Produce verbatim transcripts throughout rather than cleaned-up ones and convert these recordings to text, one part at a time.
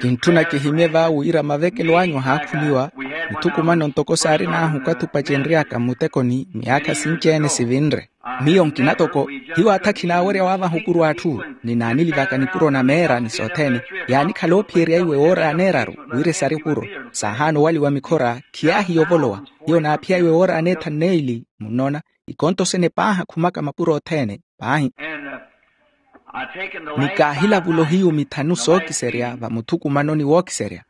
Kintthuna kihimye va wira mavekelo anyu ahaakhuniwa. Mithukumano ntoko saarin'ahu okathi opacenry'aka mmutekoni miyaakha sinci-ene sivinre. Miyo nkina toko, hiyo atha khinaawerya waavaha opuro a atthu. Ninaanilivaka nipuro na meera ni sothene, yaanikhala oophiyerya iwe woori aneeraru wira esari opuro. Saahaana owaliwa mikhora, khiyaahiya ovolowa. Hiyo naaphiya iwe woori aneethanu n'eli, munnoona. Ikonto sene paahi akhumaka mapuro othene paahi. Ni kaahilavula ohiyu mithanu sookiserya vamuthukumanoni wookiserya.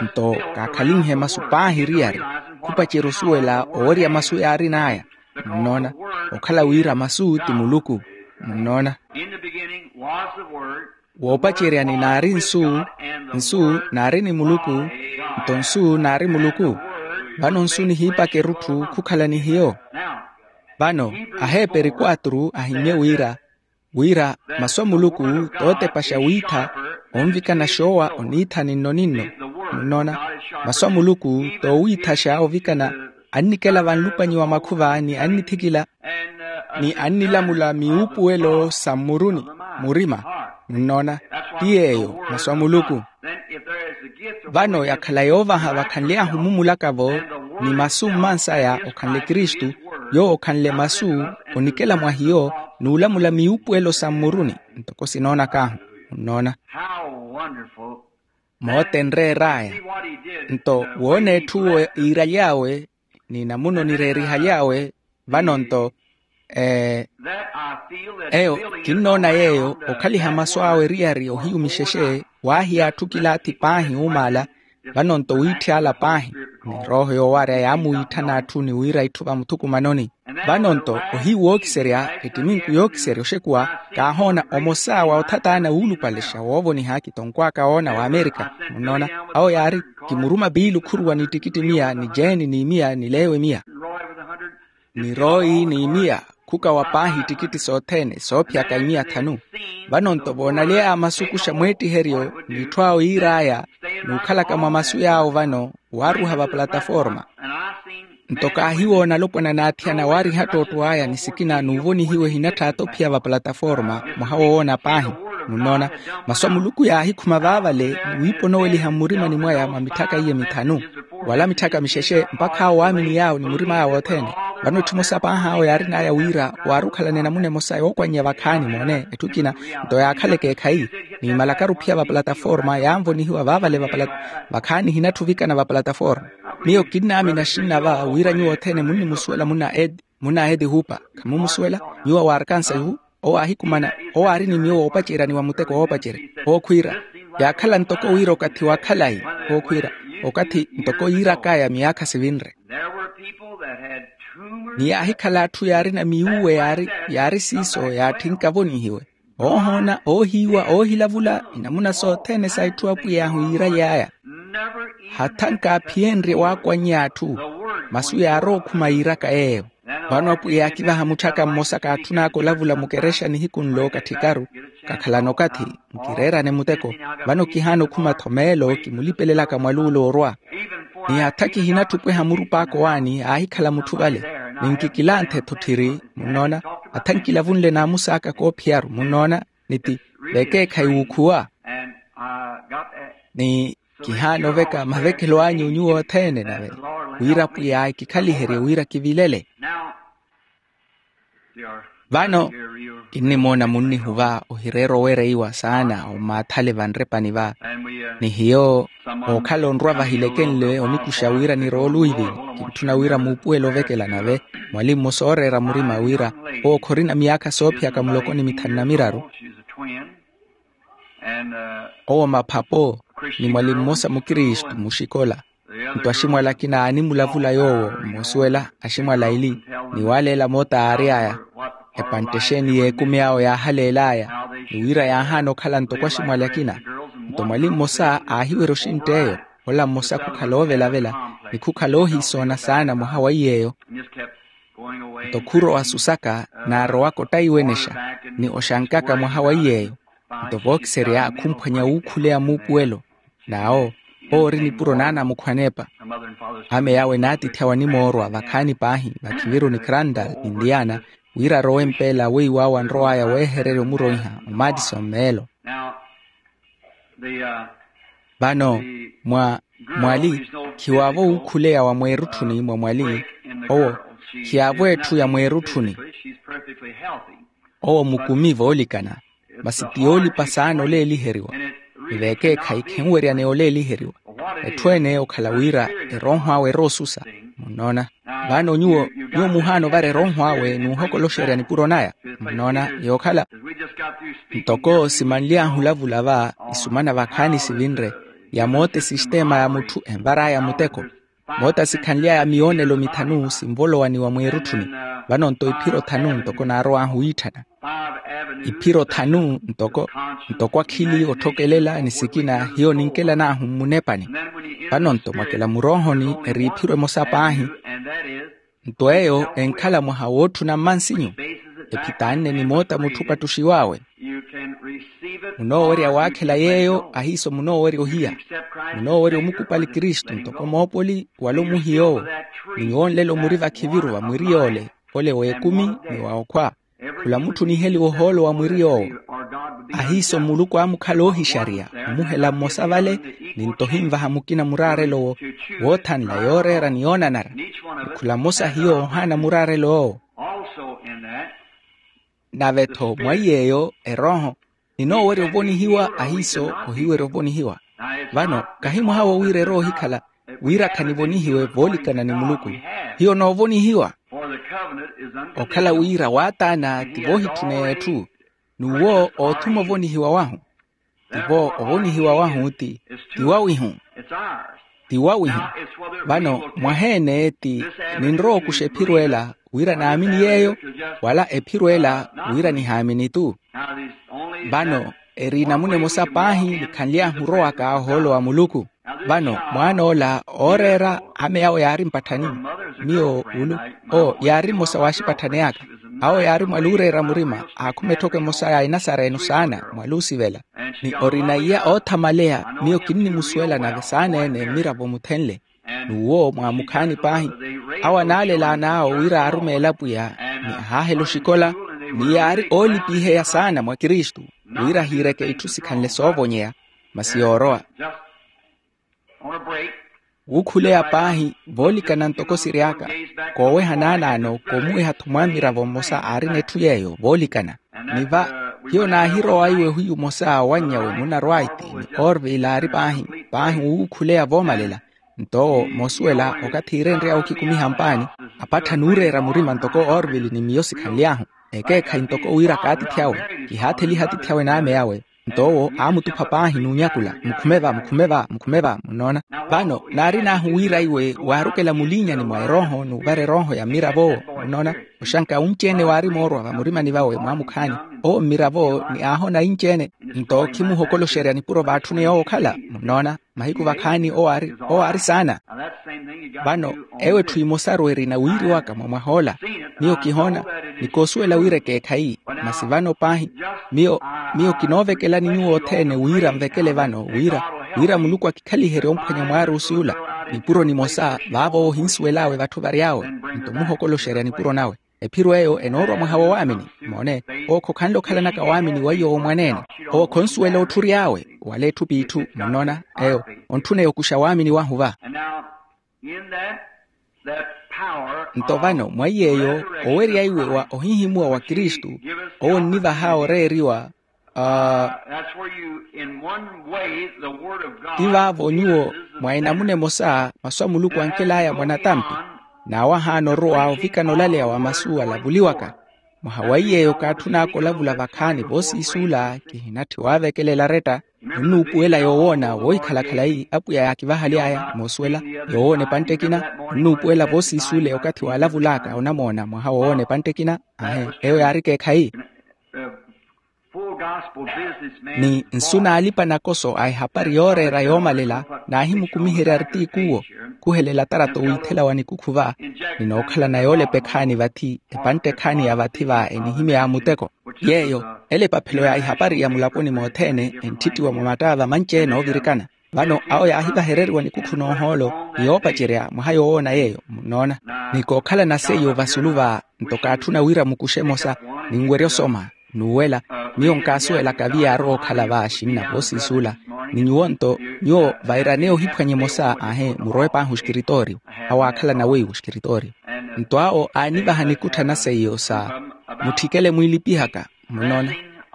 Nto kaakhalinhe masu paahi eriyari, khupacerya osuwela owerya masu yaarin'aya. Munnoona, okhala wira masu ti muluku. Munnoona, woopaceryani naari nsu, nsu naari ni muluku, nto nsu naari muluku. Vano nsu nihiipaka erutthu khukhala ni hiyo. Vano aheeperi quatro ahimye wira, wira masu a muluku tootepaxa wiitha, onvikana xoowa oniitha ninno-ninno. Munnoona, masu a muluku toowiithaxa ovikana, annikela vanlupanyi wa makhuva ni annithikila ni annilamula miwuupuwelo sa mmuruni, murima. Munnoona, ti yeeyo masu a muluku. Vano yakhala yoovaha vakhanly'ahu mumulaka-vo, ni masu mmansaya okhanle kristu, yoowo okhanle masu, onikela mwa hiyo n'ulamula miwuupuwelo sa mmuruni. Ntoko sinoonak'ahu, munnoona, mootenreer'aya. Nto woona etthu iiraly'awe, ni namuna onireerihaly'awe. Vano nto eyo, kinnoona yeeyo okhaliha masu awe eriyari ohiyu mixexe, waahiya atthu kilaathi paahi uumaala. Vano nto wiitthi ala paahi, ni erooho yoowarya yaamuwiitthana atthu ni wira itthu vamuthukumanoni. Vano nto ohiyu wookiserya, ettiminku yookiserya oxekuwa, kaahoona omosa wa othataana wuulupalexa woovoniha kitonkw'aka woona w'amerika. Munnoona, awo yaari, kimuruma piili okhuruwa ni ttikitti miya ni jeeni ni miya ni leewe miya ni royi ni miya, khukawa paahi ittikitti sothene soophiyaka imiya thanu. Vano nto voonaly'aya masu kuxa mweettiheryo n'itthu awo yiir'aya, n'ukhalaka mwa masu yaawo vano waaruha vaplataforma. Nto kaahiwoona alopwana n'athiyana waariha ttootto aya ni sikina n'uvonihiwa ehinatthaata ophiya vaplataforma. Mwaha wowoona paahi, munnoona, masu a muluku yaahikhuma vaavale, ni wiiponoweliha mmurimani mwaya mwa mitthaka iye mithanu, wala mitthaka mixexe mpakha awo waaminiy'awe ni murim'aya wothene. Vano etthu emosa paahi awo yaarin'aya wira waari okhalana enamuna emosa yookwannya vakhaani moone etthu ekina. Nto yaakhaleke ekhayi, niimalakaru ophiya vaplataforma yaanvonihiwa vaavale. Vakhaani ehinatthuvikana vaplataforma. Miyo kinnaamina axinna va wira nyuwo othene munnimusuwela munna edi hupa. Khamumusuwela? Nyuwo wa arkansa ihu. Owo aahikumana, owo aari ni miyo woopacerya ni wa muteko woopacerya. Owo khwiira, yaakhala ntoko wira okathi wa khalayi. Owo khwiira, okathi ntoko yiirak'aya miyaakha sivinre. Ni yaahikhala atthu yaarina miwuwe yaari siiso yaatthi nkavonihiwe, oohoona oohiiwa oohilavula enamuna sothene sa itthu apwiy'ahu yiiraly'aya. Hatha nkaaphiyenrye waakwannya atthu, masu yaarowa okhuma yiiraka yeeyo. Vano apwiya yaakivaha mutthaka mmosa kaatthun'aka olavula mukerexa nihiku nlo katthikaru, kakhalana okathi, nkireerane muteko. Vano kihaana okhuma-tho meelo kimulipelelaka mwaluulo orwa. Ni hatha kihinatthu opweha murup'aka owaani aahikhala mutthu vale, ni nkikilanthe-tho tthiri. Munnoona, hatha nkilavunle naamusaaka koophiyaru munnoona, ni ti vekeekhayi wuukhuwa. Ni kihaana oveka mavekelo anyu nyuwo othene nave, wira apwiya ekikhaliherye wira kivilele. Vano kinnimoona munnihuva ohireera owereiwa saana omaathale vanrepani va. Ni hiyo ookhala onrwa vahilekenle onikuxa wira nirowe oluivini. Kintthuna wira muupuwele ovekela nave mwali mmosa ooreera murima wira owo khorina miyaakha soophiyaka muloko ni mithanu na miraru. Owo maphapo ni mwali mmosa mukristu muxikola. Nto aximwali akina aanimulavula yoowo mmosuwela aximwali aili, ni waaleela moota aary'aya epantte exeeni y'ekumi awo yaahaleel'aya, ni wira yaahaana okhala ntoko aximwali akina. Nto mwali mmosa aahiwerya oxintt'eyo, ola mmosa khukhala oovelavela ni khukhala oohiisoona saana mwaha wa iy'eyo. Nto khurowa susaka naarowaka ottaiwenexa ni oxankaka mwaha wa iy'eyo. Nto vookiserya khumphwanya wuukhuleya muupuwelo, n'awo owo ori nipuro n'anamukhwa aneepa. Ame yaawe naatithi awo animoorwa vakhaani paahi vakhiviru ni crandal ni indiana, wira arowe mpeela weiw'awo anrow'aya weehererya omuroiha omaatiso mmeelo. Vano mwa mwali khiwaavo wuukhuleya wa mweerutthuni mwa mwali. Owo khiyaavo etthu ya mweerutthuni. Owo mukumi voolikana, masi ti yoolipa saana oleeliheriwa. Ni veekeekhayi khenweryaneya oleeliheriwa. Etthu ene okhala wira erooho awe eroosusa. Munnoona? Vano nyuwo nyuwo muhaana ovara erooho awe n'uhokoloxerya nipuro naya. Munnoona? Yookhala ntoko simanly'ahu olavula va isumana vakhaani sivinre, ya moota esisiteema ya mutthu envar'aya muteko. Moota sikhanly'aya miyoonelo mithanu sinvolowaniwa mweerutthuni. Vano-nto iphiro thanu ntoko naarow'ahu wiitthana. Iphiro thanu ntoko ntoko akhili otthokelela ni sikina hiyo ninkelan'ahu mmunepani. Vano-nto mwakela muroohoni eri iphiro emosa paahi. Nto eyo enkhala mwaha wootthuna mmansinyu. Ephitaanne ni moota mutthu opattuxiw'awe. Munoowerya waakhela yeeyo ahiiso munoowerya ohiya. Munoowerya omukupali kristu ntoko moopoli wala omuhiy'owo. Ni nyuwo nlelo muri vakhiviru va mwiri yoole, ole w'ekumi ni wa okhwa. Khula mutthu oniheliwa ohoolo wa mwiri yoowo. Ahiiso muluku aamukhala oohixariya omuhela mmosa vale. Ni nto ohinvaha mukina muraarelo woowo woothanla yooreera ni yoonanara. Ni khula mmosa hiyo ohaana muraarelo woowo. Nave-tho mwa iy'eyo erooho ninoowerya ovonihiwa ahiiso ohiwerya ovonihiwa. Vano kahi mwaha wo wira eroohikhala wira khanivonihiwe voolikana ni muluku. Hiyo noovonihiwa okhala wira waataana ti voohitthuneya etthu. N'uwo oothuma ovonihiwa wahu. Tivo ovonihiwa wahu ti tiwawihu. Tiwawihu. Vano mwaheene ti ninrowa okuxa ephiro ela wira naamini yeeyo wala ephiro ela wira nihaamini-tu. Vano eri inamuna emosa paahi nikhanly'ahu orowaka ohoolo wa muluku. Vano mwaan'ola ooreera ame awo yaari mpatthani. Miyo ulu owo yaari mmosa w'axipatthani aka. Awo yaari mwaluureera murima aakhuma etthoko emosa ya enasareno saana mwaluusivela. Ni orina iya oothamaleya miyo kinnimusuwela nave saana-ene mmiravo muthenle. N'uwo mwaamukhaani paahi awo anaalelaan'awo wira aarumeela apwiya ni ahaahela oxikola. Ni yaari oolipiheya saana mwa kristu wira ahiireke itthu sikhanle soovonyeya. Masi yoorowa wuukhuleya paahi voolikana ntoko siry'aka kooweha naanaano koomuweha-tho mwamiravo mmosa aarina etthu yeeyo voolikana. Ni va hiyo naahirowa iwe ohiyu mmosa owanny'awe munarwaiti ni orville aari paahi paahi wuukhuleya voomalela. Nto owo moosuwela okathi iirenry'awe okhikumiha mpaani apatthana ooreera murima ntoko orville ni miyo sikhanly'ahu. Ekeekhayi ntoko wira kaatithi awe kihaatheliha atiithi awe n'ame awe. Nto owo aamutupha paahi n'unyakula mukhume va mukhume va mukhume va munnoona. Vano naarin'ahu wira iwe waarukela muliinyani mwa erooho n'uvara erooho ya mmiravo owo munnoona. Oxanka unci-ene waari moorwa vamurimani vawe mwaamukhaani owo mmiravo ni aahona inci-ene. Nto khimuhokoloxerya nipuro vaatthune yoowo okhala munnoona mahiku vakhaani owo aari saana. Vano eyo etthu emosaru erina wiiri waka mwa mwah'ola. Miyo kihoona ni koosuwela wira ekeekhayi. Masi vano paahi miyo miyo kinoovekelani nyuwo othene wira nvekele vano wira wira muluku akikhaliherye omphwanya mwaarusi ula. Nipuro nimosa vaavo ohinsuwel'awe vatthu vary'awe nto omuhokoloxerya nipuro nawe. Ephiro eyo enoorwa mwaha wa waamini. Moone owo khokhanle okhalanaka waamini weiyo w'omwaneene. Owo khonsuwela otthury'awe wala etthu p'itthu munnoona. Eyo ontthuna yokuxa waamini wahu va. Nto vano mwa iy'eyo owerya iwe wa ohihimuwa wa kristu owo onnivaha oreeriwa. Ti vaavo nyuwo mwa enamuna emosa masu a muluku ankel'aya mwa natampi. N'awo ahaana orowa ovikana olaleya wa masu alavuliwaka. Mwaha wa iy'eyo kaatthun'aka olavula vakhaani voosiisuula kihinatthi waavekelela aretta. Onnuupuwela yoowoona woohikhala khalayi apwiya yaakivahaly'aya moosuwela yoowoona epantte ekina. Onnuupuwela voosiisuule okathi waalavul'aka onamoona mwaha woowoona epantte ekina. Ahe eyo yaari ekeekhayi. Ni nsu n'alipa nakoso a ehapari yooreera yoomalela naahimukumiherya artikuwo. Khuhelela tarato wiithela wa nikukhu va. Ninookhalana yoolepa ekhaani vathi epantte ekhaani ya vathi va enihimya ya muteko. Yeeyo ela epaphelo ya ihapari ya mulaponi mothene entthittiwa mwa mattaava manci-ene oovirikana. Vano awo yaahivahereriwa nikukhu n'ohoolo ni yoopacerya mwaha yoowoona yeeyo munnoona. Ni kookhalana seiyo vasulu va nto kaatthuna wira mukuxe emosa ninwerya osoma n'uwela. Miyo nkaasuwelaka viyaarowa okhala va axinna voosiisuula. Ni nyuwo nto, nyuwo vairaneya ohiphwanya emosa ahe murowe paahi oxikiritooriyo, awo aakhalana weiwo oxikiritooriyo. Nto awo aanivaha nikuttha na seiyo sa mutthikele mwiilipihaka. Munoona,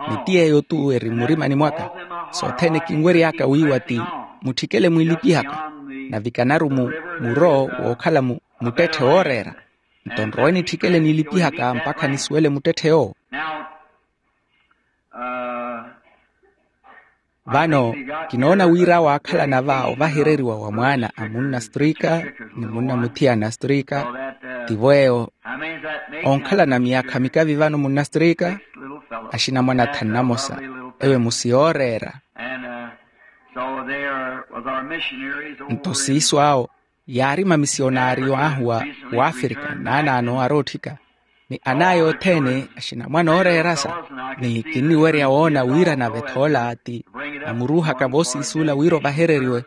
ni ti yeeyo-tu eri mmurimani mwaka. Sothene kinwery'aka wiiwa ti mutthikele mwiilipihaka. Navikanaru mu muro wookhala mu muttetthe wooreera. Nto nrowe nitthikele niilipihaka mpakha nisuwele muttetthe yoowo. Vano kinoona wira awo aakhalana va ovahereriwa wa mwaana a munna strika ni munna muthiyana strika. Tivo eyo. Onkhalana miyaakha mikavi vano munna strika, axinamwane athanu namosa, ewe musi yooreera. Nto siiso awo yaari mamisionariyo ahu wa wafrika naanaano arootthika, ni anaya othene axinamwane ooreerasa. Ni kinniwerya woona wira nave thoola ti amuruuhaka voosiisuula wira ovahereriwe.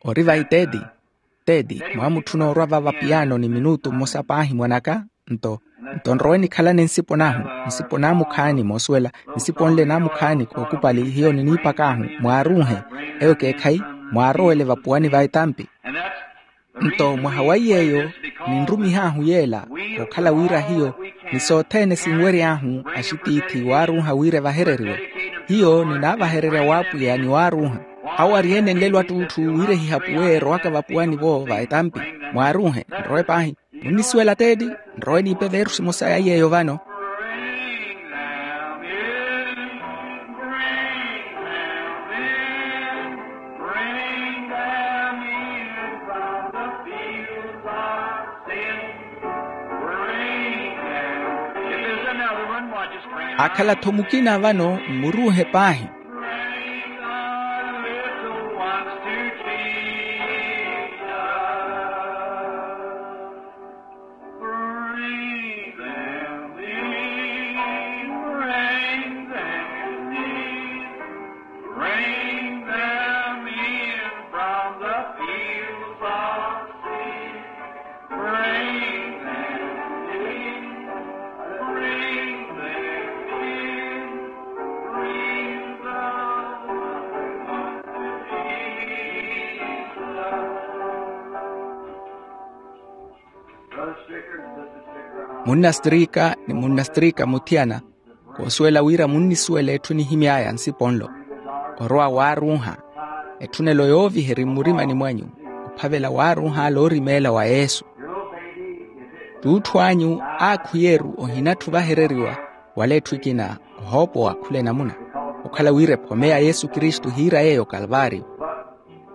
Ori vayi tedi, tedi mwaamutthuna orwa vava piyaano ni minutu mmosa paahi mwanaka. Nto nto nrowe nikhalane nsipo nahu, nsipo naamukhaani moosuwela, nsipo nle naamukhaani kookupali hiyo niniipak'ahu mwaaruuhe. Eyo ekeekhayi mwaarowele vapuwani va etampi. Nto mwaha wa iy'eyo ninrumih'ahu yeela, okhala wira hiyo ni sothene sinwery'ahu axitiithi waaruuha wira evahereriwe. Hiyo ninaavahererya w'apwiya ni waaruuha. Awo ari-ene nlelo attuthu wira ehihapu weerowaka vapuwani-vo va etampi. Mwaaruuhe nrowe paahi. Munnisuwela teeti? Nrowe niipe veerusi emosa ya iy'eyo vano. Bring them in, bring them in, bring them in from the fields of sin. Bring them in. If there's another one, why, just bring them. Akhala-tho mukina vano mmuruuhe paahi. Bring the little ones to Jesus. Bring them in, bring them in, bring them in from the fields of sin. Bring them in, bring them in, bring the little ones to Jesus. Munna strika ni munna strika muthiyana, koosuwela wira munnisuwela etthu nihimy'aya nsipo nlo. Orowa waaruuha, etthunelo yooviha eri mmurimani mwanyu, ophavela waaruuh'ale orimeela wa yesu. T'utthu anyu aakhwiyeeru ohinatthu vahereriwa, wala etthu ekina ohoopowa khula enamuna, okhala wira ephome ya yesu kristu hiira yeeyo kalvaariyo.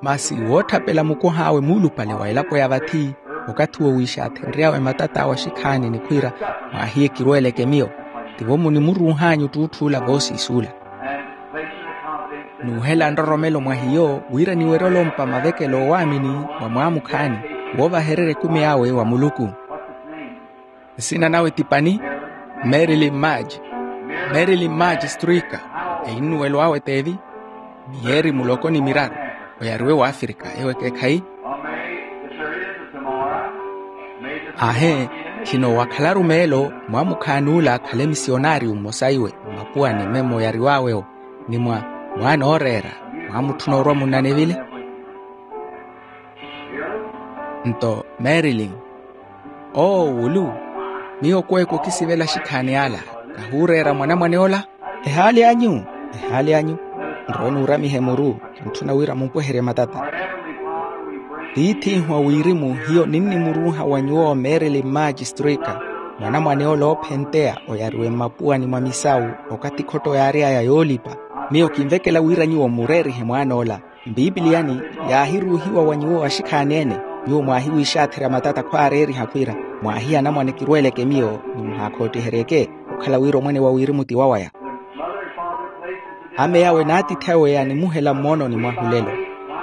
Masi wootthapela mukoh'awe muulupale wa elapo ya vathi, okathi wo wiixaathenry'awe matat'awe axikhaani ni khwiira, mwaahiye kirweeleke miyo. Tivo munimuruuh'anyu t'utth'ula voosiis'ula. Nuuhela nroromelo mwa hiyo wira niwerye olompa mavekelo oowaamini mwa mwaamukhaani, woovahererya ekumi awe wa muluku. Nsina nawe ti pani? Marilyn madge. Marilyn madge strika. Einnuwelo awe t'evi? Miyeeri muloko ni miraru. Oyariwe w'afrika ewo ekeekhayi. Ahe, khino wakhalaru meelo mwaamukhaan'ula akhale misionariyo mmosa iwe mmapuwani memo oyariw'awe-wo, ni mwa mwaana ooreera mwaamutthuna orwa munnanevile. Nto marilyn, oowulu, miyo kweeko kisivela axikhaani ala, kahuureera mwanamwane ola. Ehaali anyu, ehaali anyu. Nrowe nuuramihe muru, kintthuna wira mumpweherye matata. Tiith'ihu a wirimu hiyo ninnimuruuha wa nyuwo marilyn madge strika, mwanamwane ola oophenteya oyariwe mmapuwani mwa misawu, okathi khotto yaary'aya yoolipa. Miyo kinvekela wira nyuwo mureerihe mwaan'ola. Mpiipiliyani yaahiruuhiwa wa nyuwo axikhaani-ene, nyuwo mwaahiwiixaatherya matata khwaareeriha khwiira, mwaahiya anamwane kirweeleke miyo ni muhaakhootiheryeke, okhala wira omwene wa wirimu ti wawaya. Ameyawe n'atiithi awe yaanimuhela mmoononi mwahu lelo.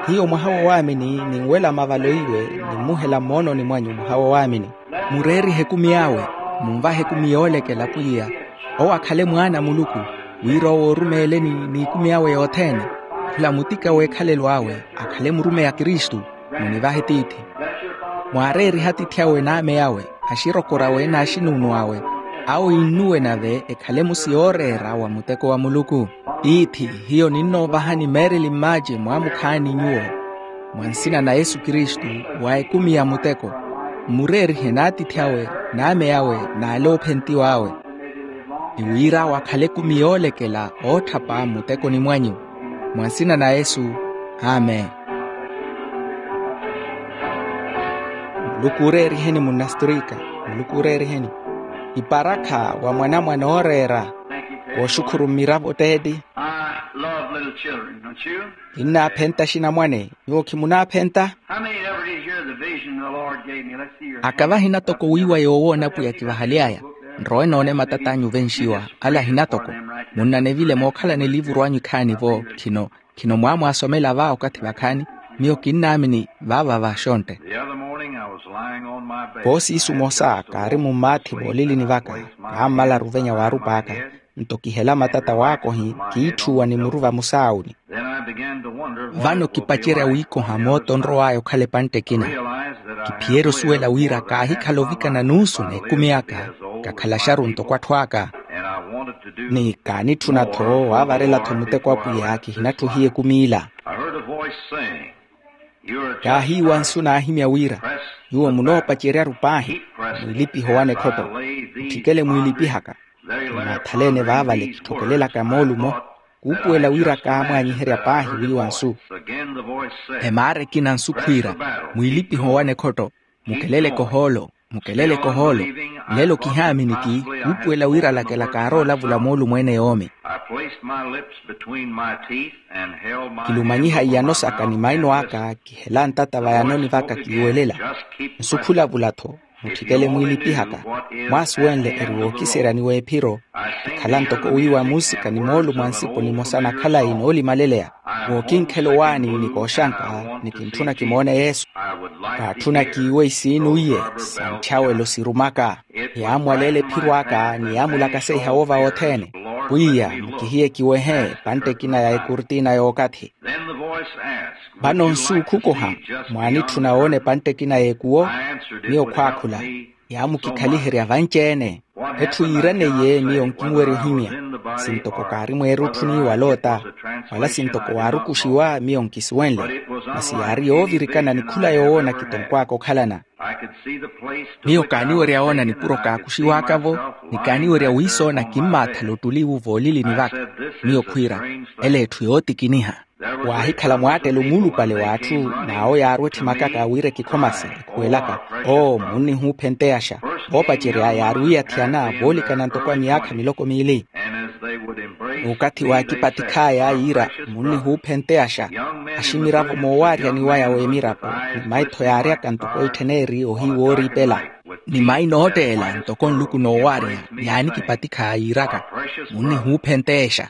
Hiyo mwaha wa waamini ninwela mavalo iwe, nimmuhela mmoononi mwanyu mwaha wa waamini. Mureerihe ekumi awe, munvahe ekumi yoolekela pwiya. Owo akhale mwaana a muluku, wira owo orumeeleni n'ikumi awe yothene. Khula mutika w'ekhalelo awe akhale murumeyi a kristu. Munivahe tiithi. Mwaareerihe atiithi awe n'ameyawe, axirokori awe n'axinuunu awe. Awo innuwe nave ekhale musi yooreera wa muteko wa muluku. Tiithi, hiyo ninnoovahani meereli mmaace mwaamukhaani nyuwo, mwa nsina na yesu kristu, wa ekumi ya muteko. Mmureerihe n'atiithi awe, n'ame awe, n'ale oophentiw'awe, ni wira awo akhale ekumi yoolekela ootthapa mmutekoni mwanyu. Mwa nsina na yesu. Amen. Muluku ooreeriheni munnasturika. Muluku ooreeriheni. Iparakha wa mwanamwane ooreera. Wooxukhuru mmiravo teeti. I love little children, don't you? Kinnaaphenta axinamwane. Nyuwo khimunaaphenta? How many ever did hear the vision the Lord gave me? Let's see your hand. Akava ahina toko wiiwa yoowoona apwiya kivahaly'aya. Nrowe noone matat'anyu venxiwa. Ale ahina toko. Munnanevile mookhalana eliivuru anyu ekhaani-vo. Khino khino mwaamwaasomela va okathi vakhaani. Miyo kinnaamini vaava vaxontte. The other morning I was lying on my bed. Poosiisu mosa kaari mummaathi voolilini vaka. Kaammalaru ovenya waarupa aka. Nto kihela matata waakohi kiitthuwa ni muru vamusaawuni. Then I began to wonder what. Vano kipacerya wiikoha mooto onrow'aya okhala epantte ekina. Kiphiyerya osuwela wira kaahikhala ovikana nuusu n'ekumi aka. Kakhala axaru ntoko atthu aka. Ni kaanitthuna-tho waavarela-tho muteko apwiya kihinatthuhiye ekumi ila. Kaahiiwa nsu naahimya wira, nyuwo munoopacerya-ru paahi, mwiilipihe owana ekhotto. Mutthikele mwiilipihaka. Kinaathaleene vaavale kitthokelelaka moolumo, kuupuwela wira kaamwaanyiherya paahi wiiwa nsu. Emaara ekina nsu khwiira, mwiilipihe owana ekhotto. Mukeleleke ohoolo, mukeleleke ohoolo. Lelo kihaamini ti kuupuwela wira alakela kaaroolavula moolumo ene yoomi. Kilumanyiha iyano saka ni maino aka kihela ntata vayanoni vaka kiiwelela. Nsu khulavula-tho. Mutthikele mwiilipihaka. Mwaasuwenle eri wookiserya ni w'ephiro. Kikhala ntoko wiiwa muusika ni moolumo a nsipo nimosa na khalayi noolimaleleya. Wookinkhela owaani ni kooxanka, ni kintthuna kimoone yesu. Kaatthuna kiiwe isiini oiye, sa ntthyaawelo sirumaka. Yaamwaleela ephiro aka ni yaamulakaseiha woova wothene. Pwiya, mukihiye kiwehe epantte ekina ya ekurtina y'okathi. Vano nsu khukoha, mwaanitthuna woona epantte ekina y'ekuwo? Miyo khwaakhula, yaamukikhaliherya vanci-ene. Etthu yiiraneiye miyo nkinwerya ohimya. Sintoko kaari mweerutthuni wa loota, wala sintoko waarukuxiwa miyo nkisuwenle. Masi yaari yoovirikana ni khula yowoona kitonkw'aka okhalana. Miyo kaaniwerya woona nipuro kaakuxiw'aka-vo, ni kaaniwerya wiisoona kimmaathala ottuli iwu voolilini vaka. Miyo khwiira, ela etthu yootikiniha. Waahikhala mwaattelo muulupale w'atthu, n'awo yaari wetthimakaka wira ekikhomasi ekhuwelaka, oo munnihuuphenteyaxa. Voopacerya yaari wiiyathiyana voolikana ntoko a miyaakha miloko miili. N'ukathi waakipatikh'aya yiira, munnihuuphenteyaxa. Aximiravo moowaaryani waya w'emirako, ni maitho yaaryaka ntoko ittheneri ohiiwooriipela. Ni maina ootteela ntoko nluku noowaarya, yaanikipatikh'aya yiiraka, munnihuuphenteexa.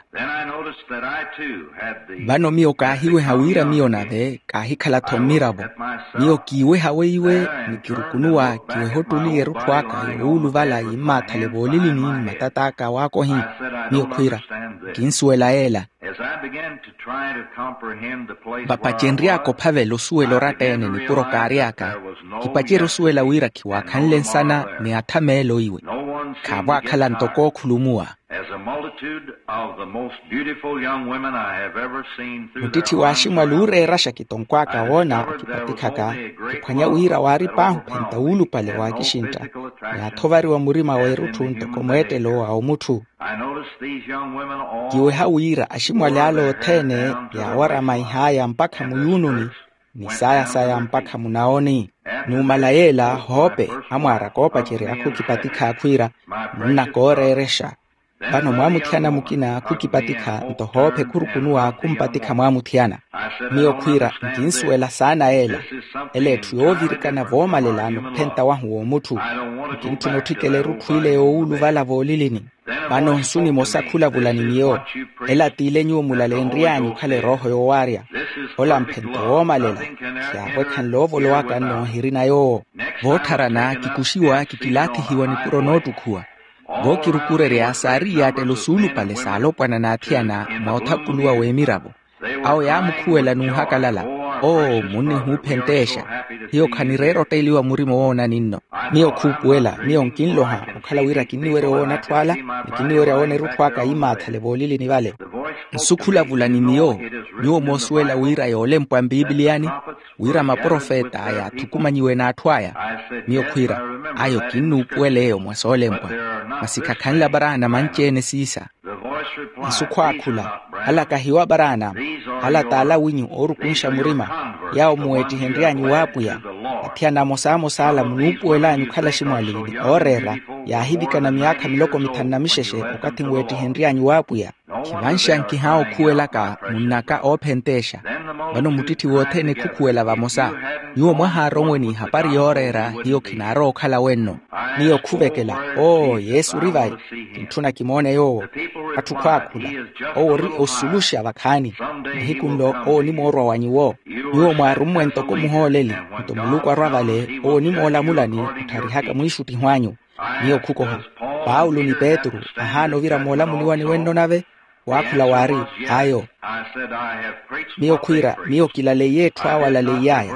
Vano miyo kaahiweha wira miyo nave kaahikhala-tho mmiravo. Miyo kiiweha weiwe, ni kirukunuwa kiweha ottuli erutthu aka yoowuluvala yimmaathale voolilini ni matat'aka waakohi. Miyo khwiira, kinsuwela yeela. Vapacenry'aka ophavela osuwela oratta-ene nipuro kaary'aka, kipacerya osuwela wira khiwaakhanle nsana ni athameelo iwe. Khaavo aakhala ntoko ookhulumuwa. Muttitthi w'aximwali ooreeraxa kitonkw'aka woona akipatikhaka, kiphwanya wira waari paahi ophenta wuulupale waakixintta, ni athovariwa murima w'erutthu ntoko mweettelo wa omutthu. Kiweha wira aximwali ale othene yaawaramaih'aya mpakha muyuununi, ni saaya-saya mpakha munaoni. Numala yeela hoope amwaaraka oopacerya khukipatikha khwiira, munnaka ooreerexa. Vano mwaamuthiyana mukina khukipatikha nto hoope khurukunuwa khumpatikha mwaamuthiyana. Miyo khwiira, nkinsuwela saana yeela. Ela etthu yoovirikana voomalela ni ophenta wahu w'omutthu. Nkintthuna otthikela erutthu ile yoowuluvala voolilini. Vano nsu nimosa khulavula ni miyo. Ela t'ile nyuwo mulalenry'anyu okhala erooho yoowaarya. Ola mphento woomalela, khiyaavwekhanle oovolowaka nnoohirina yoowo. Voottharana kikuxiwa kikilaathihiwa nipuro noottukhuwa. Vookirukurerya saari iyaattelo suulupale saalopwana n'athiyana mwa othapuluwa w'emiravo. Awo yaamukhuwela n'uhakalala, oo munnihuuphenteexa. Hiyo khanireera otteeliwa murima owoonani nno. Miyo khuupuwela, miyo nkinloha okhala wira kinniwerya woona atthu ala, ni kinniwerya woona erutthu aka iimaathale voolilini vale. Nsu khulavula ni miyo, nyuwo moosuwela wira yoolempwa mpipiliyani, wira maprofeta aya athukumanyiwe n'atthu aya. Miyo khwiira, ayo kinnuupuwela eyo mwa soolempwa. Masi khakhanle aparaana manci-ene siisa. Nsu khwaakhula, ala kahiwo aparaana, ala t'ala winyu oorukunxa murima, yaawo muweettihenry'anyu w'apwiya. Athiyana amosamosa ala munuupuwel'anyu okhala aximwali ni ooreera, yaahivikana myaakha miloko mithanu na mixexe okathi nweettihenry'anyu w'apwiya. Khivanxa nkihaawa okhuwelaka munn'aka oophenteexa. Vano muttitthi wothene khukhuwela vamosa. Nyuwo mwahaaromwe n'ihapari yooreera, hiyo khinaarowa okhala wenno. Miyo khuvekela, oo yesu ori vayi. Kintthuna kimoone yoowo. Atthu khwaakhula, owo ori osuluxa vakhaani. Nihiku nlo owo onimoorwa wa nyuwo. Nyuwo mwaarummwe ntoko muhooleli, nto muluku arwa vale owo onimoolamulani ottharihaka mwiixuttiho anyu. Miyo khukoha, paulo ni petru ahaana ovira moolamuliwani wenno nave. Waakhula waari, ayo. Miyo khwiira, miyo kilaleiye etthu awo alaleiy'aya.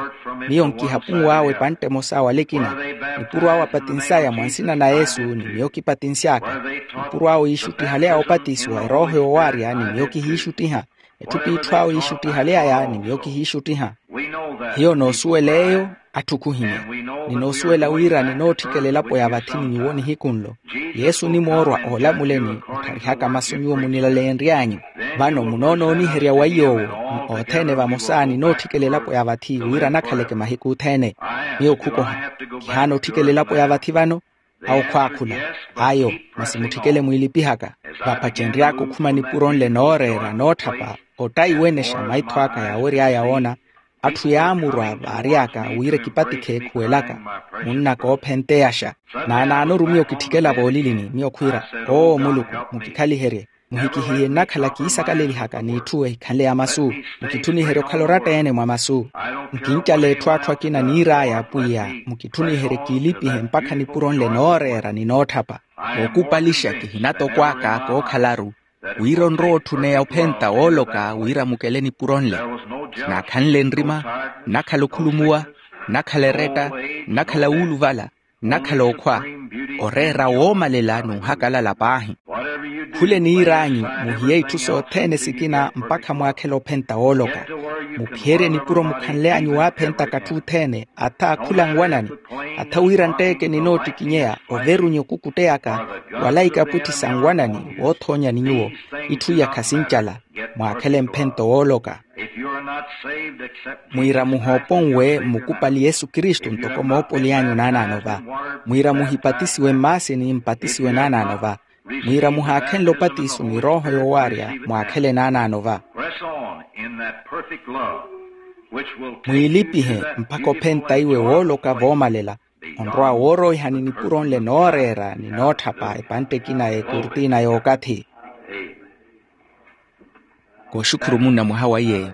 Miyo nkihapunw'awe epantte emosa wala ekina. Nipuro awo apatins'aya mwa nsina na yesu ni miyo kipatinsy'aka. Nipuro awo yiixuttihaly'aya opatisiwa erooho yoowaarya ni miyo kihiixuttiha. Etthu p'itthu awo yiixuttihaly'aya ni miyo kihiixuttiha. Hiyo noosuwela eyo, atthu khuhimya. Ni noosuwela wira ninootthikela elapo ya vathi ni nyuwo nihiku nlo. Yesu onimoorwa oolamuleni ottharihaka masu nyuwo munilaleenry'anyu. Vano munoonooniherya wa iy'owo, ni othene vamosa ninootthikela elapo ya vathi wira nakhaleke mahiku othene. Miyo khukoha, kihaana otthikela elapo ya vathi vano. Awo khwaakhula, ayo, masi mutthikele mwiilipihaka. Vaapacenry'aka okhuma nipuro nle nooreera nootthapa, ottayi wenexa maitho aka yaawery'aya woona. Atthu yaamurwa vaary'aka wira ekipatikhe ekhuwelaka, munn'aka oophenteyaxa. Naanaanoru miyo kitthikela voolilini miyo khwiira, oo muluku, mukikhaliherye. Muhikihiye nnakhala kiisakalelihaka n'etthu ehikhanle ya masu. Mukitthuniherye okhala oratta-ene mwa masu. Nkincala etthu atthu akina niir'aya apwiya, mukitthuniherye kiilipihe mpakha nipuro nle nooreera ni nootthapa. Ookupalixa kihinatokwaaka kookhalaru, wira onrowa otthuneya ophenta wooloka wira mukele nipuro nle. Kinaakhanle nrima, nnakhala okhulumuwa, nnakhala eretta, nnakhala wuuluvala, nnakhala okhwa, oreera woomalela n'uhakalala paahi. Khule niir'anyu, muhiye itthu sothene sikina mpakha mwaakhele ophenta wooloka. Muphiyerye nipuro mukhanly'anyu waaphentaka atthu othene, atha khula nwanani, atha wira ntteeke ninoottikinyeya overunye okukutteyaka, wala ikapwitthi sa nwanani woothoonyani nyuwo. Itthu iya khasincala, mwaakhele mphento wooloka. Mwiira muhooponwe mmukupali yesu kristu ntoko moopoli anyu naanaano va. Mwiira muhipatisiwe mmaasini mpatisiwe naanaano va. Mwiira muhaakhenle opatiso ni rooho yoowaarya mwaakhele naanaano va. Mwiilipihe mpakha ophenta iwe wooloka voomalela, onrowa wooroihani nipuro nle nooreera ni nootthapa epantte ekina ya ekurtina y'okathi. Kooxukhuru munna mwaha wa iyeeyo.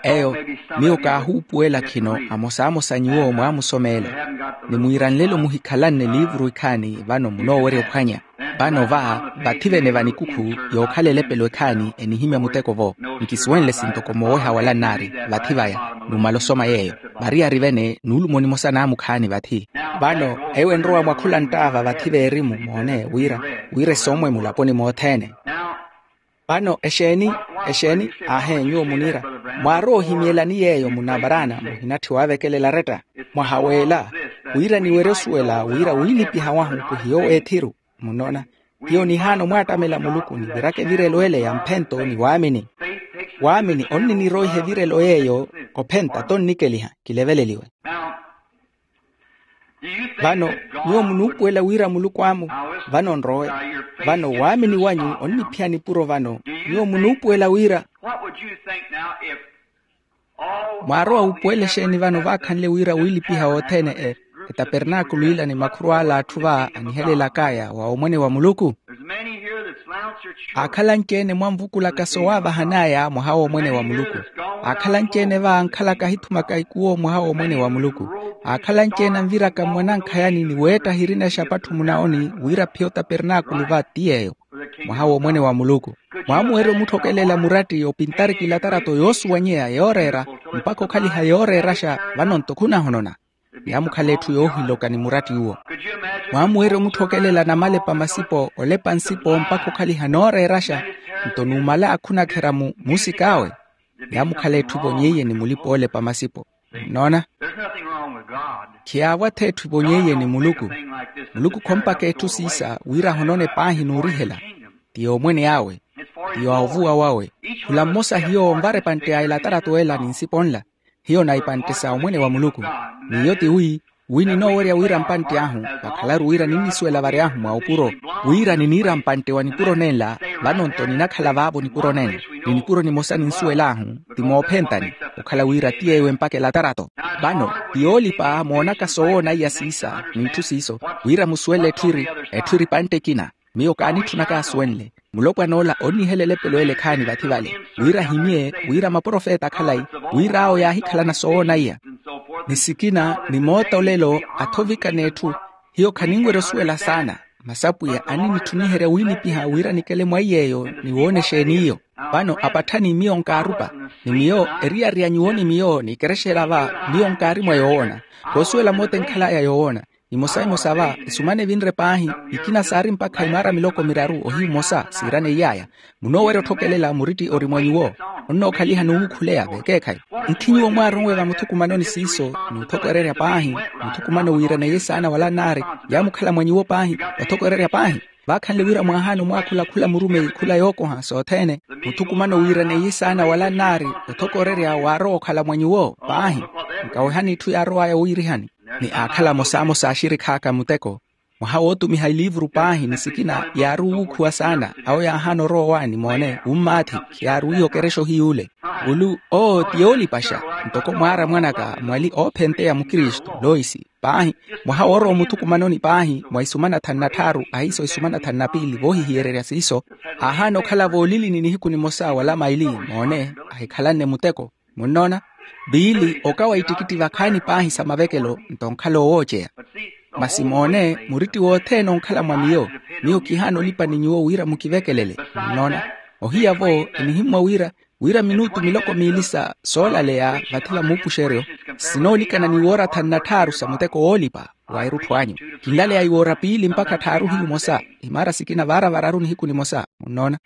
Eyo, miyo kaahuupuwela khino amosamosa nyuwo mwaamusomeela. Ni mwiira nlelo muhikhalanne liivuru ikhaani vano munoowerya ophwanya. Vano va, vathi vene va nikukhu yookhala elepelo ekhaani enihimya muteko-vo. Nkisuwenle sintoko mooweha wala nnaari vathi vaya, numala osoma yeeyo. Variyari vene nuulumo nimosa naamukhaani vathi. Vano eyo enrowa mwa khula nttaava vathi veerimu moone wira, wira esomwe mulaponi mothene. Vano exeeni? Exeeni? Aahe nyuwo muniira, mwaarowa ohimyelani yeeyo munna varaana muhinatthi waavekelela aretta? Mwaha w'ela, wira niwerye osuwela wira wiilipiha wahu khuhiyo w'ethiru. Munnoona, hiyo nihaana omwaattamela muluku niviraka evirelo ele ya mphento ni waamini. Waamini onniniroiha evirelo yeeyo, ophenta tonnikeliha. Kileveleliwe. Vano nyuwo munuupuwela wira muluku amu, vano nrowe. Vano waamini wanyu onniphiya nipuro vano. Nyuwo munuupuwela wira, mwaarowa wuupuwela exeeni vano vaakhanle wira wiilipiha wothene e, etapernaakulu ila ni makhurw'ala atthu va anihelelak'aya wa omwene wa muluku? Aakhala anci-ene mwamvukulaka sowaavahan'aya mwaha w'omwene wa muluku. Aakhala anci-ene va ankhalaka ahithumaka ikuwo mwaha w'omwene wa muluku. Aakhala anci-ene anviraka mmwanankhayani ni weetta ahirina exapatthu munaoni wira aphiye otapernaakulu va ti yeeyo, mwaha w'omwene wa muluku. Mwaamuwerya omutthokelela muratti opintari kilatarato yoosuwanyeya yooreera, mpakha okhaliha yooreeraxa, vano nto khunahonona. Yaamukhala etthu yoohiloka ni muratti uwo. Mwaamuwerya omutthokelela namalepa masipo olepa nsipo mpakha okhaliha nooreeraxa. Nto numala akhunakherya mu muusik'awe. Yaamukhala etthu evonyeiye ni mulipa oolepa masipo. Nnoona? Khiyaavwa-tho etthu evonyeiye ni muluku. Muluku khompaka etthu siisa wira ahonone paahi n'urihela. Ti yoomwene awe. Ti yoovuwa wawe. Khula mmosa hiyo onvara epantte ya elatarato ela ni nsipo nla. Hiyo na epantte sa omwene wa muluku. N'iyo ti wi, wi ninoowerya wira mpantte ahu vakhalaru wira ninnisuwela vary'ahu mwa opuro. Wira niniira mpantte wa nipuro nenla. Vano-nto ninakhala vaavo nipuro nenla. Ni nipuro nimosa ninsuwel'ahu ti moophentani. Okhala wira ti ewe mpakha elatarato. Vano ti yoolipa moonaka sowoona iya siisa n'itthu siiso. Wira musuwele etthu iri, etthu iri pantte ekina. Miyo kaanitthuna kaasuwenle. Mulopwan'ola onnihelela epelo ele khaani vathi vale. Wira ahimye wira maprofeta khalayi. Wira awo yaahikhalana sowoona iya. Ni sikina ni moota olelo athovikana etthu. Hiyo khaninwerya osuwela saana. Masi apwiya aninitthuniherya wiinipiha wira nikele mwa iy'eyo. Ni woona exeen'iyo. Vano apatthani miyo nkaarupa. Ni miyo eriyari ya nyuwo ni miyo ni ekerexa ela va. Miyo nkaari mwa yowoona. Koosuwela moota enkhal'aya yowoona. Imosa imosa va esumana evinre paahi. Ikina saari mpakha imaara miloko miraru ohiyu mmosa siiranei'aya. Munoowerya otthokelela muritti ori mwa nyuwo. Onnookhaliha n'uwukhuleya vekeekhayi. Nkhi nyuwo mwaaronwe vamuthukumanoni siiso n'uthokorerya paahi. Muthukumano wiiraneiye saana wala nnaari. Yaamukhala mwa nyuwo paahi. Otthokorerya paahi. Vaakhanle wira mwaahaana omwaakhula khula murumeyi khula yookoha sothene. Muthukumano wiiraneiye saana wala nnaari. Othokorerya waarowa okhala mwa nyuwo paahi. Nkawehani itthu yaarow'aya wiirihani. Ni aakhala amosamosa axirikh'aka muteko. Mwaha wootumiha eliivuru paahi ni sikina yaari owuukhuwa saana. Awo yaahaana orowa owaani moone wummaathi. Khiyaari wiiha okerexa ohiy'ule. Ulu owo ti yoolipaxa. Ntoko mwaara mwan'aka mwali oophenteya mukristu loisi. Paahi. Mwaha woorowa omuthukumanoni paahi mwa isumana thanu na tthaaru ahiiso isumana thanu na piili voohihiyererya siiso. Aahaana okhala voolilini nihiku nimosa wala maili. Moone ahikhalanne muteko. Munnoona? Piili okawa ittikitti vakhaani paahi sa mavekelo. Nto onkhala owooceya. Masi moone muritti wothene onkhala mwa miyo. Miyo kihaana olipa ni nyuwo wira mukivekelele. Munnoona? Ohiya-vo enihimmwa wira wira minutu miloko miili sa soolaleya vathi va muupuxeryo. Sinoolikana ni woora thanu na tthaaru sa muteko woolipa wa erutthu anyu. Kinlaleya iwoora piili mpakha tthaaru hiyu mosa. Imaara sikina vaara vararu nihiku nimosa. Munnoona?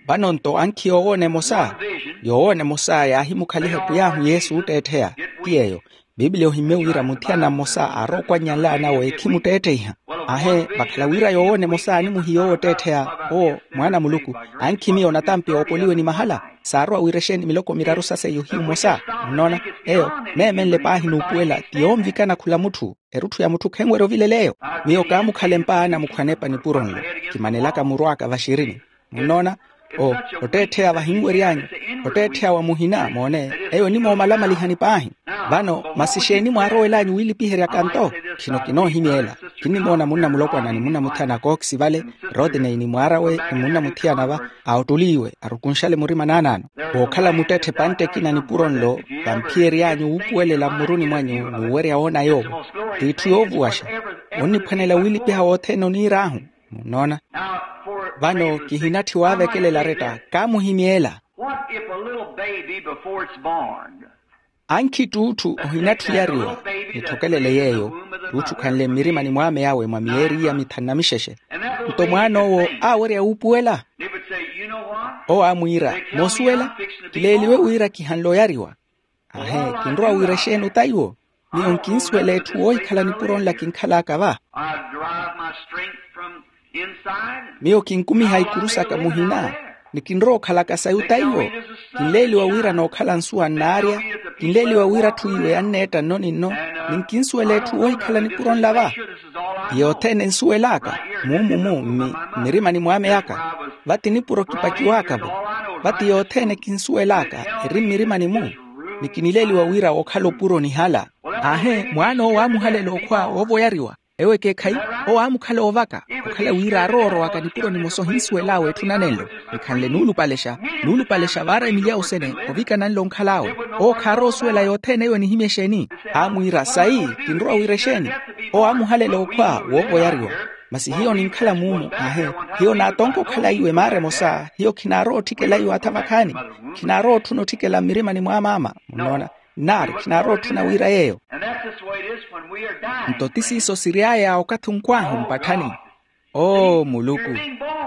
Vano-nto ankhi yoowoona emosa. Yoowoona emosa yaahimukhaliha pwiy'ahu yesu ootteettheya. Ti yeeyo. Piipiliya ohimmye wira muthiyana mmosa aarowa okwannyala anawe ekhimutteettheiha. Ahe vakhala wira yoowoona emosa animuhiya owo ootteettheya. Owo mwaana a muluku. Ankhi miyo natampi oopoliwe ni mahala. Saarowa wira exeeni miloko miraru sa seiyo hiyu mmosa. Munnoona? Eyo neemenle paahi n'upuwela ti yoonvikana khula mutthu. Erutthu ya mutthu khenwerya ovilela eyo. Miyo kaamukhala empa anamukhwanepa nipuro nlo. Kimanelaka muru aka vaxirini. Munnoona? O otteettheya vahinwery'anyu. Otteettheya wa muhina moone. Eyo enimoomalamaliha ni paahi. Vano masi exeeni mwaarowelanyu wiilipiheryaka nto? Khino kinoohimyeela. Kinnimoona munna mulopwana ni munna muthiyana a kooxi vale. Rodney ni mwaar'awe ni munna muthiyana va. Aottuliiwe arukunxale murima naanaano. Wookhala muttetthe epantte ekina nipuro nlo. Vamphiyery'anyu wuupuwelela mmuruni mwanyu n'uwerya woona yoowo. T'itthu yoovuwaxa. Onniphwanela wiilipiha wothene oniir'ahu. Munnoona? Vano kihinatthi waavekelela aretta kaamuhimyeela. What if a little baby before it's born? Ankhi ttuutthu ohinatthi oyariwa. Nitthokelele yeeyo. Ttuutthu khanle mmirimani mw'ame awe mwa miyeeri iya mithanu na mixexe. Nto mwaan'owo aawerya wuupuwela. Owo aamwiira moosuwela. Kileeliwe wira kihanle oyariwa. Ahe kinrowa wira exeeni ota iwo? Miyo nkinsuwela etthu woohikhala nipuro nla kinkhal'aka va. Miyo kinkumiha ikuru saka muhina. Ni kinrowa okhalaka sayi ota iwo? Kinleeliwa wira nookhala nsuwa nnaarya. Kinleeliwa wira atthu iwe anneetta nno ni nno. Ni nkinsuwela etthu woohikhala nipuro nla va. Ti yothene nsuwel'aka muumu-mu mmirimani mw'ame aka. Va ti nipuro kipakiw'aka-vo. Va ti yothene kinsuwel'aka eri mmirimani-mu. Ni kinileeliwa wira wookhala opuro onihala. Aahe mwaan'owo aamuhalela okhwa woova oyariwa. Ewo ekeekhayi. Owo aamukhala oovaka. Okhala wira aarowa orowaka nipuro nimosa ohinsuwel'awe etthu nanenlo. Nikhanle nuulupalexa. Nuulupalexa vaara emilya osene ovikana nlo onkhal'awe. Owo khaarowa osuwela yothene eyo enihimya exeeni. Aamwiira sayi kinrowa wira exeeni? Owo aamuhalela okhwa woova oyariwa. Masi hiyo ninkhala muumu aahe. Hiyo naatonka okhala iwe maara emosa hiyo khinaarowa otthikela iwe atha vakhaani. Khinaarowa otthuna otthikela mmirimani mw'amaama. Munnoona? Nnaari khinaarowa otthuna wira yeeyo. Nto ti siiso siry'aya okathi onkw'ahu mpatthani. Oo muluku,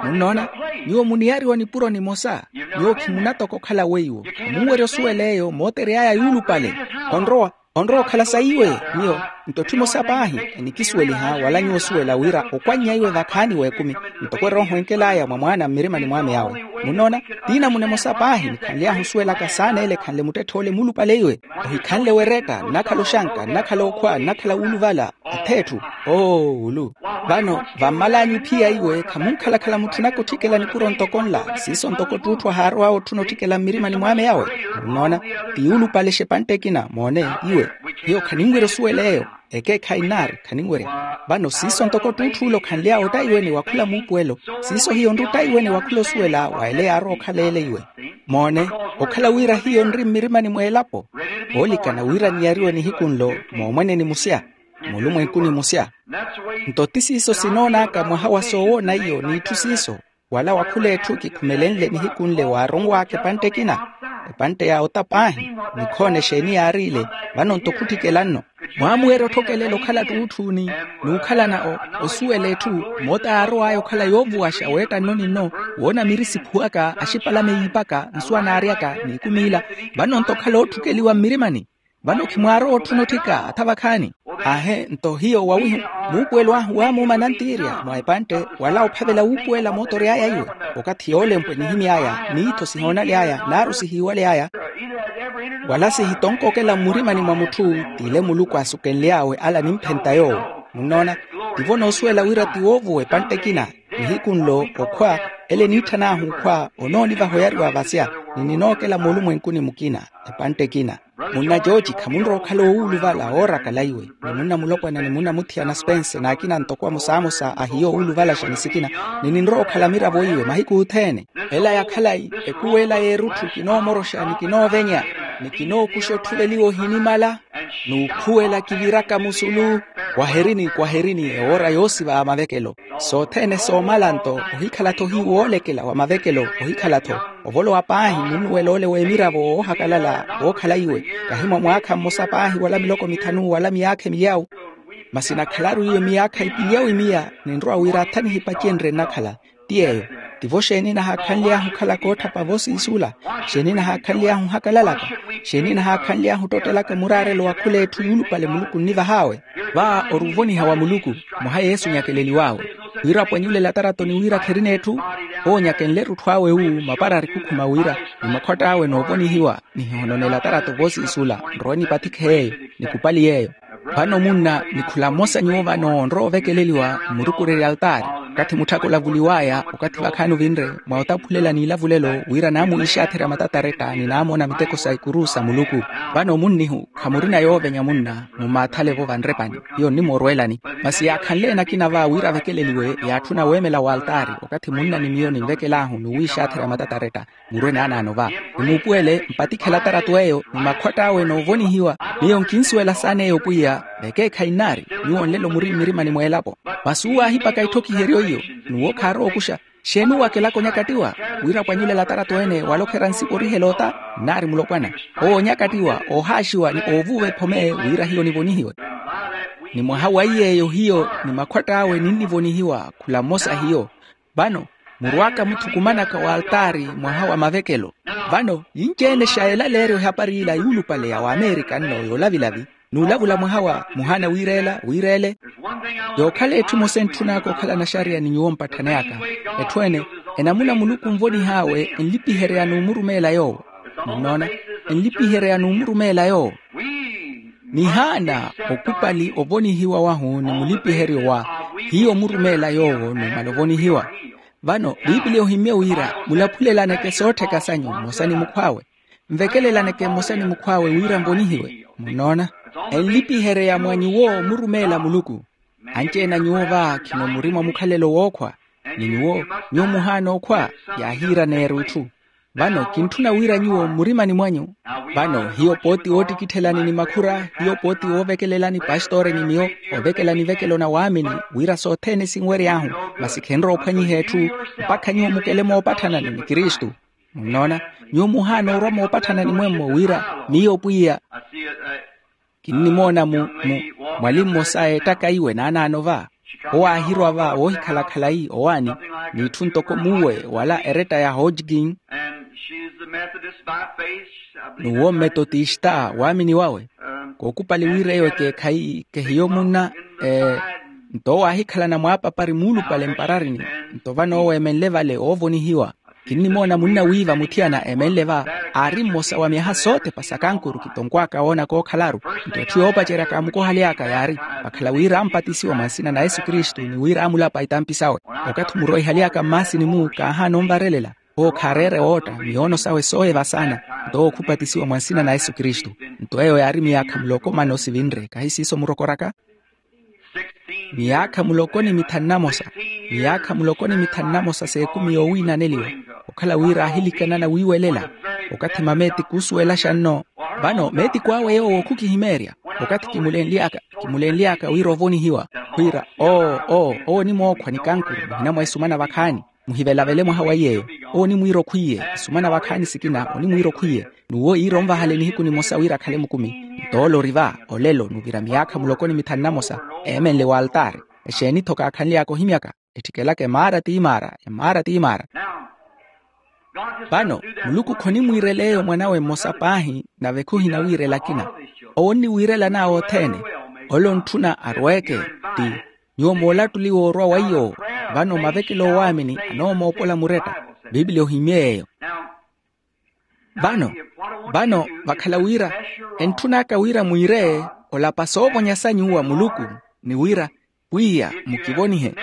munnoona, nyuwo muniyariwa nipuro nimosa. Nyuwo khimunatoka okhala weiwo. Munwerya osuwela eyo mootery'aya yuulupale. Onrowa onrowa okhala sayiwe. Miyo nto tthi emosa paahi enikisuweliha wala nyuwo osuwela wira okwannya iwe vakhaani w'ekumi, ntoko erooho enkel'aya mwa mwaana mmirimani mwaame yawe. Munnoona, tiinamuna emosa paahi nikhanly'ahu osuwelaka saana ele ekhanle muttetthe ole muulupale iwe. Ohikhanle weretta nnakhala oxanka nnakhala okhwa nnakhala wuuluvala. Atheetthu. Oo wulu. Vano vammal'anyu iphiya iwe khamunkhalakhala mutthunaka otthikela nipuro ntoko nla siiso ntoko ttuutthu ahaarow'awe otthuna otthikela mmirimani mwaame yawe. Munnoona, ti yuulupalexa epantte ekina moone. Iwe hiyo khaninwerya osuwela eyo. Ekeekhayi nnaari khaninwerya. Vano siiso ntoko ttuutthu ole okhanly'awe ottaiwe ni wakhula muupuwelo. Siiso hiyo nri ottaiwe ni wakhula osuwela wa ele yaarowa okhala ele iwe. Moone, okhala wira hiyo nri mmirimani mw'elapo oolikana wira niyariwe nihiku nlo moomwene nimusya, mulumwenkuni musya. Nto ti siiso sinoon'aka mwaha wa soowoona iyo n'itthu siiso. Wala wakhula etthu kikhumelenle nihiku nle waaronw'aka epantte ekina, epantte ya ota paahi. Nikhoona exeeni yaariile. Vano nto khutthikela nno mwaamuwerya otthokelela okhala ttuutthu ni n'ukhalana osuwela etthu moota yaarow'aya okhala yoovuwaxa weetta nno ni nno, woona miri siphuwaka axipalame yiipaka nsuwa naaryaka n'ikumi ila. Vano nto okhala ootthukeliwa mmirimani. Vano khimwaarowa otthuna otthika atha vakhaani. Aahe nto hiyo wawihu muupuwelo ahu waamuuma nantiirya mwa epantte wala ophavela wuupuwela mootory'aya iwe. Okathi yoolempwe nihimy'aya miitho sihoonaly'aya naaru sihiiwaly'aya wala sihitonkokela mmurimani mwa mutthu. T'ile muluku asukenly'awe ala nimphenta yoowo. Munnoona, tivo noosuwela wira ti woovuwa epantte ekina. Nihiku nlo okhwa ele niitthan'ahu okhwa onoonivaha oyariwa vasya ni ninookela moolumwenkuni mukina. Epantte ekina munna jooji khamunrowa okhala oowuluvala oorakala iwe ni munna mulopwana ni munna muthiyana spense n'akina ntoko amosamosa ahiyo owuluvalaxa ni sikina. Ni ninrowa okhala miravo iwe mahiku othene. Ela ya khalayi ekuwela y'erutthu kinoomoroxa ni kinoovenya ni kinookuxa otthuveliwa ohinimala n'ukhuwela kiviraka musulu. Kwaherini kwaherini ewoora yoosiva ya mavekelo. Sothene soomala nto ohikhala-tho hiyo woolekela wa mavekelo ohikhala-tho. Ovolowa paahi munnuwela ole w'emiravo woohakalala wookhala iwe kahi mwa mwaakha mmosa paahi wala miloko mithanu wala miyaakha emiyawu. Masi nakhalaru iwe miyaakha ipinyawu imiya ninrowa wira atha nihipacenrye nnakhala. Ti yeeyo. Tivo xeeni nahaakhanly'ahu okhalaka ootthapa voosiisula? Xeeni nahaakhanly'ahu ohakalalaka? Xeeni nahaakhanly'ahu ottottelaka muraarelo wa khul'etthu yuulupale muluku onnivah'awe? Va ori ovoniha wa muluku. Mwaha yesu onyakeleliw'awe wira apwanyule elatarato ni wira kherina etthu. Owo onyakenle erutthu awe wu mapara arikukhuma wira ni makhwatt'awe noovonihiwa. Nihihononela atarato voosiisula nrowe nipathikhe yeeyo nikupali yeeyo. Vano munna ni khula mmosa nyuwo vano onrowa ovekeleliwa mmurukurerya altaari okathi mutthaka olavuliw'aya okathi vakhaani ovinre mwa otaphulela n'ilavulelo wira naamuwiixatherya matataretta ni naamona miteko sa ikuru sa muluku. Vano munnihu khamurina yoovenya munna mumaathale-vo vanrepani hiyo nnimorweelani. Masi yaakhanle-ene akina va wira avekeleliwe yaatthuna weemela w'altaari okathi munna ni miyo ninvekel'ahu n'uwiixatherya matataretta. Murwe naanaano va nimuupuwele mpatikhela atarato eyo ni makhwatt'awe noovonihiwa. Miyo nkinsuwela saana eyo pwiya vekeekhayi nnaari. Nyuwo nlelo muri mmirimani mw'elapo masi uwo aahipaka itthokiheryo iyo n'uwo khaarowa okuxa. Xeeni uwo akelaka onyakattiwa wira apwanyulela atarato ene wala okherya nsipa orihela ota? Nnaari mulopwana owo onyakattiwa oohaaxiwa ni oovuva ephome wira hiyo nivonihiwe. Ni mwaha wa iy'eyo hiyo ni makhwatt'awe ninnivonihiwa khula mmosa hiyo. Vano murw'aka muthukumanaka w'altaari mwaha wa mavekelo. Vano yinci-ene xa elaleeryo ehapari ila yuulupale ya waamerika nno yoolavilavi n'ulavula mwaha wa muhaana wiireela wiireele. Yookhala etthu emosa entthun'aka okhala naxariya ni nyuwo mpatthaneyaka. Etthu ene enamuna muluku onvonih'awe enlipihereya n'umurumeela yoowo. Munnoona, enlipihereya n'umurumeela yoowo. Nihaana okupali ovonihiwa wahu ni mulipiheryo wa hiyo murumeela yoowo numala ovonihiwa. Vano piipiliya ohimmye wira mulaphulelaneke soottheka sanyu mmosa ni mukhw'awe. Nvekelelaneke mmosa ni mukhw'awe wira nvonihiwe. Munnoona, enlipihereya mwa nyuwo murumeela muluku. Anci-ene a nyuwo va khino muri mwa mukhalelo wookhwa. Ni nyuwo, nyuwo muhaana okhwa. Yaahiiraneerya itthu. Vano kintthuna wira nyuwo mmurimani mwanyu. Vano hiyo pooti woottikitthelani ni makhura hiyo pooti woovekelelani pastoore ni miyo ovekela nivekelo na waamini wira sothene sinwery'ahu. Masi khenrowa ophwanyiha etthu mpakha nyuwo mukele moopatthana ni kristu. Munnoona, nyuwo muhaana orwa moopatthana ni mwemmo wira miyo pwiya. Kinnimoona mu mu mwali mmosa a ettaka iwe naanaano va. Owo aahirwa va woohikhala khalayi owaani n'itthu ntoko muuwe wala eretta ya hodgkin. N'uwo mmetotista waamini wawe. Kookupali wira eyo ekeekhayi kehiyo munna. Nto owo aahikhalana mwaapapari muulupale mpararini. Nto vano owo eemenle vale oovonihiwa. Kinnimoona munna wiiva muthiyana eemenle va. Aari mmosa wa myaha sootepa sa kankuru kitonkwaka woona kookhalaru. Nto etthu yoopacerya kaamukohaly'aka yaari vakhala wira ampatisiwa mwa nsina na yesu kristu ni wira amulapa itampi sawe. Okathi omuroihaly'aka mmaasini-mu kaahaana onvarelela. Owo khaareere wootta miyoono sawe sooyeva saana. Nto owo khupatisiwa mwa nsina na yesu kristu. Nto eyo yaari miyaakha muloko mana osivinre kahi siiso murokoraka. Miyaakha muloko ni mithanu namosa. Miyaakha muloko ni mithanu namosa s'ekumi yoowiinaneliwa. Okhala wira aahilikanana wiiwelela. Okathi mameetiku osuwelaxa nno. Vano meetiku awe yoowo khukihimeerya. Okathi kimulenly'aka kimulenly'aka wira ovonihiwa. Khwiira oo oo owo onimookhwa ni kankuru muhina mwa isumana vakhaani. Muhivelavele mwaha wa iy'eyo. Owo onimwiira okhwiiye isumana vakhaani sikina onimwiira okhwiiye. N'uwo iira onvahale nihiku nimosa wira akhale mukumi. Nto ole ori va olelo n'uvira miyaakha muloko ni mithanu namosa. Eemenle w'altaari. Exeeni-tho kaakhanly'aka ohimyaka. Ettikelaka emaara ti maara emaara ti maara. Vano muluku khonimwiirela eyo mwanawe mmosa paahi. Nave khuhinawiirela akina. Owo onniwiirela anaawe othene. Ole ontthuna arweeke ti nyuwo moolattuliwa orwa weiyo. Vano mavekelo oowaamini anoomoopola muretta. Pipilia ohimmye yeeyo. Vano vano vakhala wira entthun'aka wira mwiire olapa soovonya sa nyuwo a muluku ni wira pwiya mukivonihe.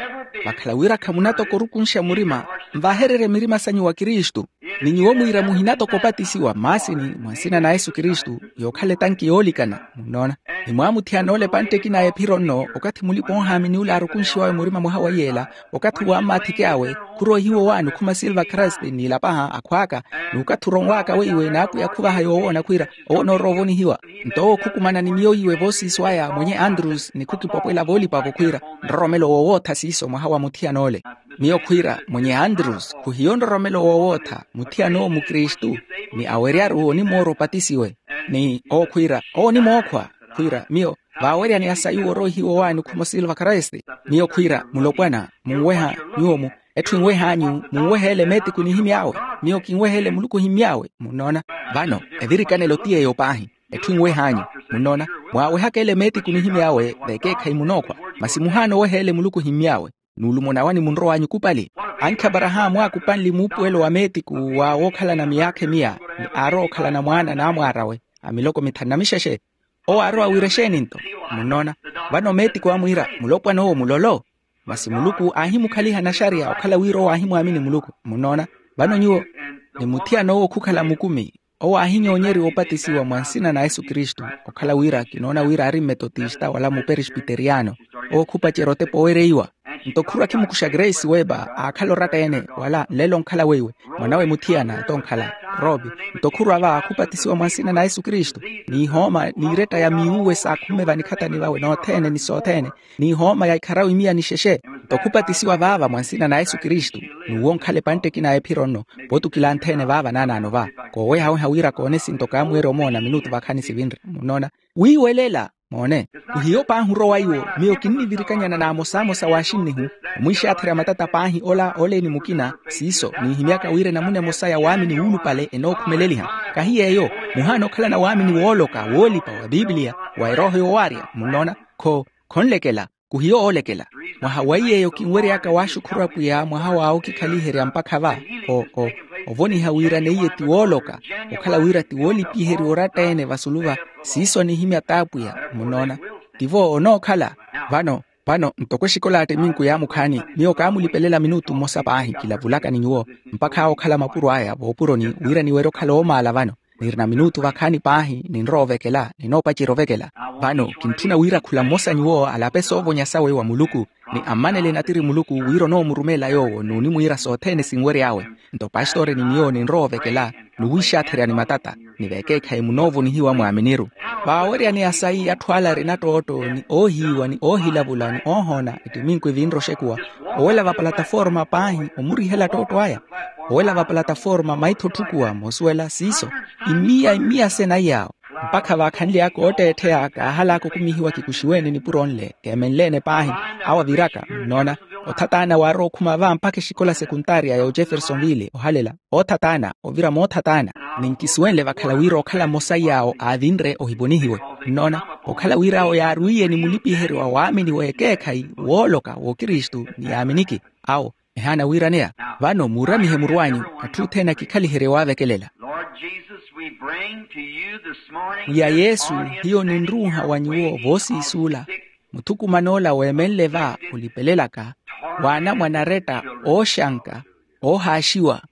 Vakhala wira khamunatoko orukunxa murima nvahererye mirima sanyu wa kristu. Ni nyuwo mwiira muhinatoko opatisiwa mmaasini mwa nsina na yesu kristu yookhala etanki yoolikana. Munnoona? Ni mwaamuthiyana ole epantte ekina ya ephiro nno okathi mulipa-oohaamini ole aarukunxiwawe murima mwaha wa iyeela. Okathi wammathike awe khuroihiwa owaani okhuma silva christ n'ilapaha akhw'aka. N'ukathi oronwaaka weiwe n'apwiya khuvaha yoowoona khwiira owo onoorowa ovonihiwa. Nto owo khukumana ni miyo iwe voosiiso aya mwenye andrus ni khukipopwela voolipa-vo khwiira nroromelo woowootha siiso mwaha wa muthiyana ole. Miyo khwiira mwenye andrus khuhiyo nroromelo woowootha muthiyana owo mukristu. Ni aweryaru onimoora opatisiwe. Ni owo khwiira owo onimookhwa khwiira miyo vaaweryani asayuwa oroihiwa owaani okhuma osilva christ. Miyo khwiira mulopwana munweha nyuwo-mu etthu enweh'anyu munweheele meetiku nihimy'awe. Miyo kinweheele muluku ohimy'awe munnoona. Vano evirikanelo ti yeeyo paahi. Etthu enweh'anyu munnoona mwaawehaka ele meetiku nihimy'awe vekeekhayi munookhwa. Masi muhaana oweha ele muluku ohimy'awe. Nuulumo nawani munrow'anyu okupali. Ankhi aparahaamu aakupanle muupuwelo wa meetiku wa wookhalana miyaakha emiya ni aarowa okhalana mwaana n'amwaar'awe a miloko mithanu na mixexe. Owo aarowa wira exeeni nto? Munnoona? Vano meetiku aamwiira mulopwana owo mulolo. Masi muluku aahimukhaliha naxariya okhala wira owo aahimwaamini muluku. Munnoona? Vano nyuwo ni muthiyana owo khukhala mukumi owo aahinyoonyeriwa opatisiwa mwa nsina na yesu kristu. Okhala wira kinoona wira aari mmetotista wala muperespiteriyano. Owo khupacerya otepa owereiwa. Nto khurwa khimukuxa grace weba aakhala oratta-ene wala nlelo onkhala weiwe. Mwanawe muthiyana tonkhala robi. Nto khurwa va khupatisiwa mwa nsina na yesu kristu n'ihooma n'iretta ya miuwe saakhumme vanikhatani vawe nothene ni sothene. N'ihooma ya ikharawe imiya ni xexe. Nto khupatisiwa vaava mwa nsina na yesu kristu n'uwo onkhala epantte ekina ya ephiro nno. Potukila anthene vaava naanaano va koowehaweha wira koone esinto kaamweerya omoona minutu vakhani sivinre munnoona. Wiiwelela moone. Khuhiyo paahi orowa iwo miyo kinnivirikanyana n'amosamosa w'axinnihu omwiixaatherya matata paahi ola oleeni mukina. Siiso niihimyaka wira enamuna emosa ya waamini wuulupale enookhumeleliha. Kahi yeeyo muhaana okhalana waamini wooloka woolipa wa pipilia wa erooho yoowaarya munnoona. Kho khonlekela. Khuhiyo oolekela. Mwaha wa iy'eyo kinwery'aka waaxukhura pwiya mwaha w'awe okikhaliherya mpakha va o o ovoniha wira neiye ti wooloka okhala wira ti woolipiheriwa oratta-ene vasulu va siiso anihimya t'apwiya. Munnoona? Tivo onookhala. Vano vano ntoko exikola ya ttiminku yaamukhaani miyo kaamulipelela minutu mmosa paahi kilavulaka ni nyuwo mpakha awe okhala mapuro aya voopuroni wira niwerye okhala oomaala vano. Nirina minutu vakhaani paahi ninrowa ovekela ninoopacerya ovekela. Vano kintthuna wira khula mmosa nyuwo alape soovonya sawe wa muluku ni ammanele natiri muluku wira onoomurumeela yoowo n'unimwiira sothene sinwery'awe. Nto pastore ni miyo ninrowa ovekela n'uwiixaatherya ni matata ni vekeekhayi munoovonihiwa mwaaminiru. Vaaweryani asayi atthu ala arina ttootto ni oohiiwa ni oohilavula ni oohoona ettiminku evinre oxekuwa owela vapalataforma paahi omurihela ttootto aya. Owela vapalataforma maitho otthukuwa moosuwela siiso imiya imiya sena iyaawo. Mpakha vaakhanly'aka ootteettheya kaahal'aka okumihiwa kikuxiwe-ene nipuro nle keemenle-ene paahi. Awo aviraka nnoona, othataana waarowa okhuma va mpakha exikola sekuntaariya ya ojeffersonville ohalela. Oothataana ovira moothataana. Ni nkisuwenle vakhala wira okhala mmosa iy'awo aavinre ohiponihiwe. Nnoona, okhala wira awo yaarwiiye ni mulipiheryo wa waamini w'ekeekhayi wooloka w'okristu ni yaaminiki. Awo ehaana wiiraneya. Vano muuramihe muru anyu. Atthu othene akikhaliherye waavekelela. Lord Jesus, we bring to you this morning mwiya this yesu, hiyo ninruuha wa nyuwo voosiisuula. Muthukuman'ola weemenle va olipelelaka waana mwanaretta ooxanka oohaaxiwa.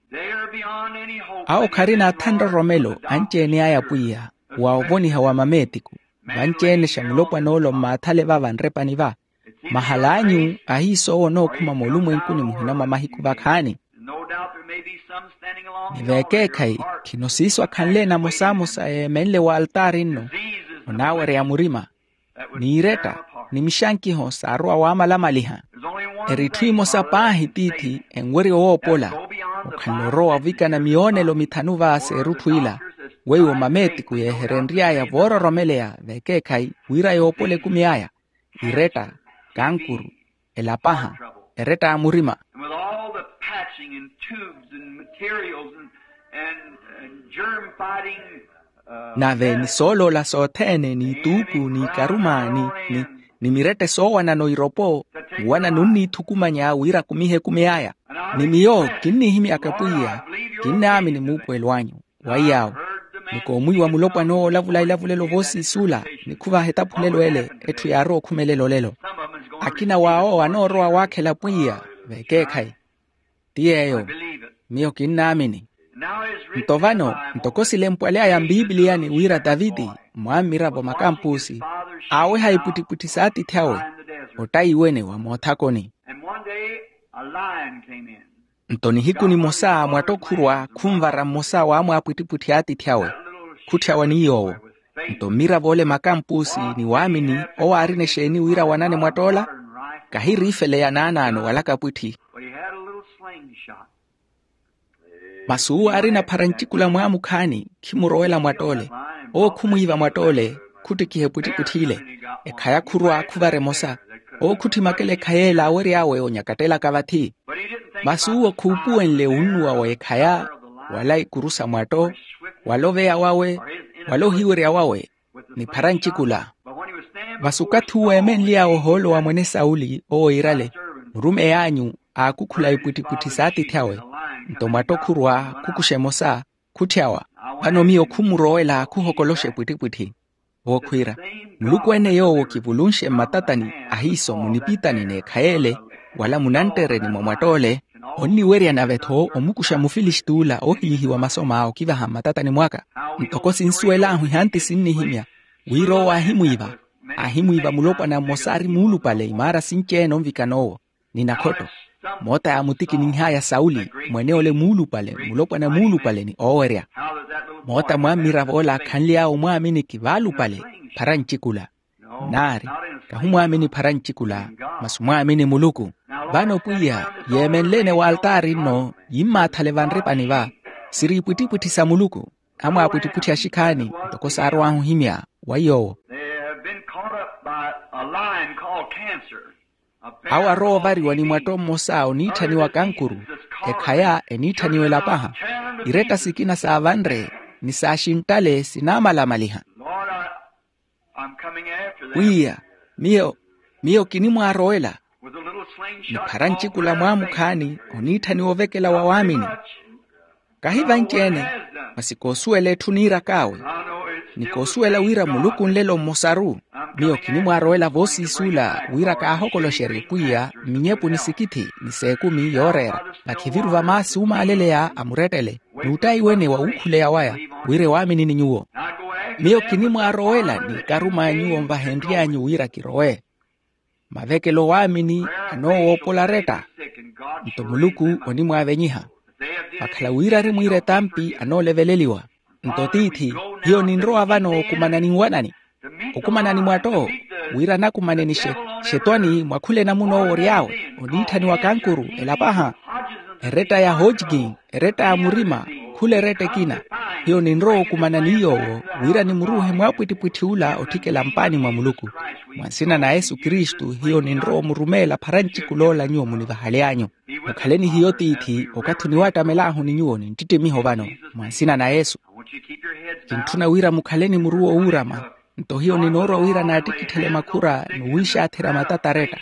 Awo kharina athanroromelo anci-ene aya pwiya wa ovoniha wa mameetiku. Vanci-ene xa mulopwan'ola ommaathale va vanrepani va. Mahal'anyu ahiis'owo onookhuma moolumwenkuni muhina mwa mahiku vakhaani. Ni veekeekhayi khino siiso akhanle namosamosa yeemenle w'altaari nno onaawereya murima. N'iretta ni mixankiho saarowa waamalamaliha. Eri itthu imosa paahi tiithi enwerya owoopola. Okhanle orowa ovikana miyoonelo mithanu va s'erutthu ila weiwo mameetiku yeeherenry'aya voororomeleya veekeekhayi wira yoopole ekumi aya. Iretta, kankuru, elapaha, eretta ya murima. And with all the patching and tubes and materials and, and, and germ fighting, uh, nave ni sooloola sothene n'ituuku n'ikaruma ni, ni, ni mirette soowanano iropo. Nwana nunniithukumanya wira akumihe ekumi aya. Ni miyo kinnihimyaka pwiya, kinnaamini muupuwelo anyu. Wa iy'awo ni koomwiiwa mulopwana owo olavula elavulelo voosiisuula. Nikhuvaha etaphulelo ele etthu yaarowa okhumelela olelo. Akina w'awo anoorowa waakhela pwiya veekeekhayi. Ti yeeyo. Miyo kinnaamini. Nto vano ntoko silempwaly'aya mpipiliyani wira taviti, mwammiravo makampusi aaweha ipwittipwitthi s'atiithi awe ottayiwene wa moothakoni. Nto nihiku nimosa mwatto khurwa khunvara mmosa w'amwaapwittipwitthi a atiithi awe. Khutthyawa ni yoowo. Nto mmirav'ole makampusi ni waamini owo aarina exeeni wira wanane mwatt'ola? Kahiriifeleya naanaano wala kapwitthi. Masi uwo aarina pharancikula mwaamukhaani khimurowela mwatt'ole. Owo khumwiiva mwatt'ole, khuttikiha epwittipwitthi ile. Ekhaya khurwa khuvara emosa. Owo khutthimakela ekhaya ele aawery'awe onyakattelaka vathi. Masi uwo khuupuwenle wunnuwa w'ekhaya, wala ikuru sa mwatto, wala oveya wawe, wala ohiwerya wawe ni pharancikula. Masi okathi uwo eemenly'awe ohoolo wa mwene sauli owo iirale, murumeyi anyu aakukhula ipwittipwitthi s'atiithi awe. Nto mwatto khurwa khukuxa emosa, khutthyawa. Vano miyo khumurowela khuhokoloxa epwittipwitthi. Owo khwiira, muluku-ene yoowo kivulunxe mmatatani ahiiso munipitani n'ekhaya ele, wala munanttereni mwa mwatt'ole, onniwerya nave-tho omukuxa mufilisti'ula oohiyihiwa masoma okivaha mmatatani mwaka. Ntoko sinsuwel'ahu ehanti sinnihimya wira owo aahimwiiva. Aahimwiiva mulopwana mmosa aari muulupale imaara sinci-ene onvikana owo ni nakhotto. Moota yaamutikiniih'aya sauli, mwene ole muulupale, mulopwana muulupale ni oowerya. Moota mwammirav'ola akhanly'awe omwaamini kivaalupale pharancikula. Naari, kahumwaamini pharancikula, masi omwaamini muluku. Vano pwiya, yeemenle-ene w'altaari nno yimmaathale vanripani va, siri ipwittipwitthi sa muluku. Amwaapwittipwitthi axikhaani ntoko saarow'ahu ohimya wa yoowo. They have been caught up by a lion called cancer. Awo arowa ovariwa ni mwatto mmosa oniitthaniwa kankuru. Ekhaya eniitthaniwa elapaha. Iretta sikina saavanre ni saaxinttale sinaamalamaliha. Pwiya, miyo miyo kinimwaarowela. Ni pharancikula mwaamukhaani oniitthaniwa ovekela wa waamini. Kahi vanci-ene, masi koosuwela etthu niirak'awe. Ni koosuwela wira muluku nlelo mmosaru. Miyo kinimwaarowela voosiisuula wira kaahokoloxerye pwiya mminyepu ni sikithi ni s'ekumi yooreera. Vakhiviru va maasi umaaleleya a murettele n'uttayi-wene wa wuukhuleya waya, wira ewaamini ni nyuwo. Miyo kinimwaarowela ni ikaruma a nyuwo nvahenry'anyu wira kirowe. Mavekelo waamini anoowoopola aretta. Nto muluku onimwaavenyiha. Vakhala wira arimwiira etampi anooleveleliwa. Nto tiithi, hiyo ninrowa vano okumana ni nwanani, okumana ni mwatto, wira anakumane ni xetwani mwakhule namuna owo ory'awe oniitthaniwa kankuru elapaha. Eretta ya hojikin, eretta ya murima, khula eretta ekina. Hiyo ninrowa okumana ni yoowo, wira nimuruuhe mwaapwittipwitthi ula otthikela mpaani mwa muluku. Mwa nsina na yesu kristu hiyo ninrowa omurumeela pharancikula ola nyuwo munivahaly'anyu. Mukhale ni hiyo tiithi okathi oniwattamel'ahu ni nyuwo ninttittimiho vano. Mwa nsina na yesu. Kintthuna wira mukhale ni muru owuurama. Nto hiyo ninoorwa wira naattikitthele makhura n'uwiixaatherya matata aretta,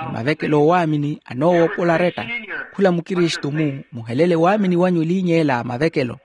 ni mavekelo oowaamini anoowoopola aretta. Khula mukristu-mu, muhelele waamini wanyu eliinya ela mavekelo.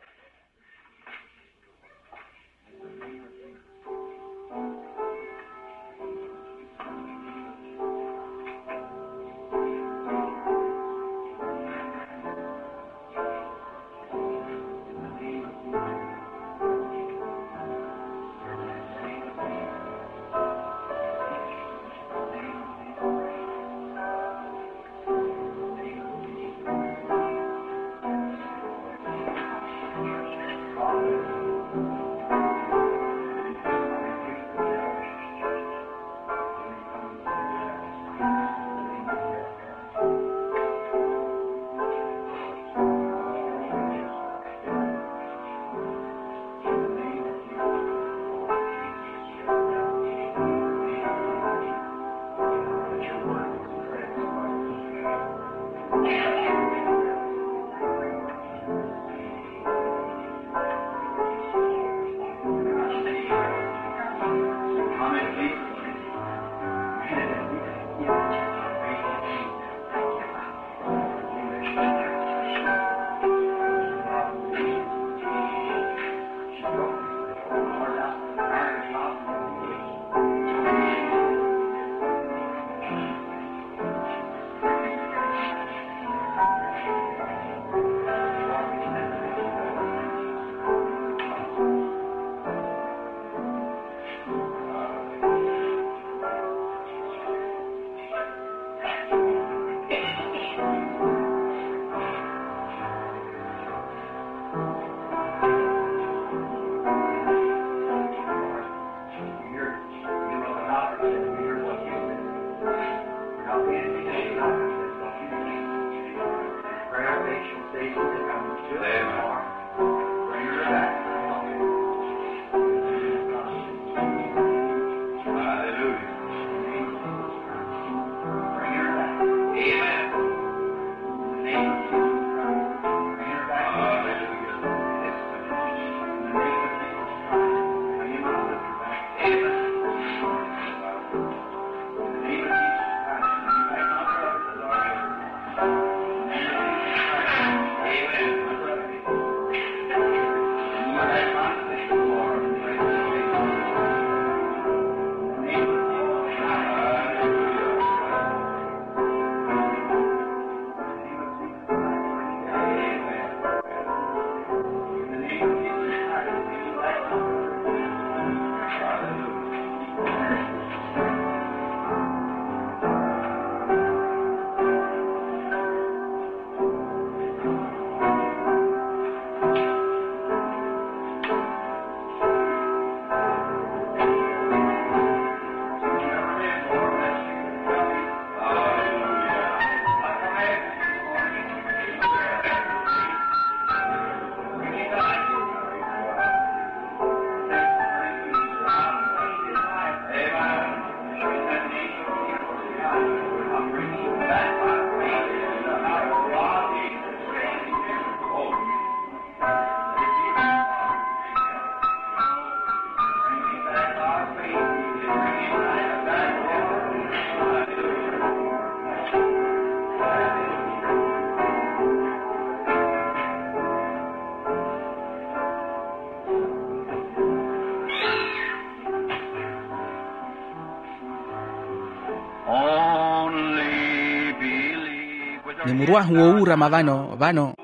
Ni muru ahu woowuurama vano vano.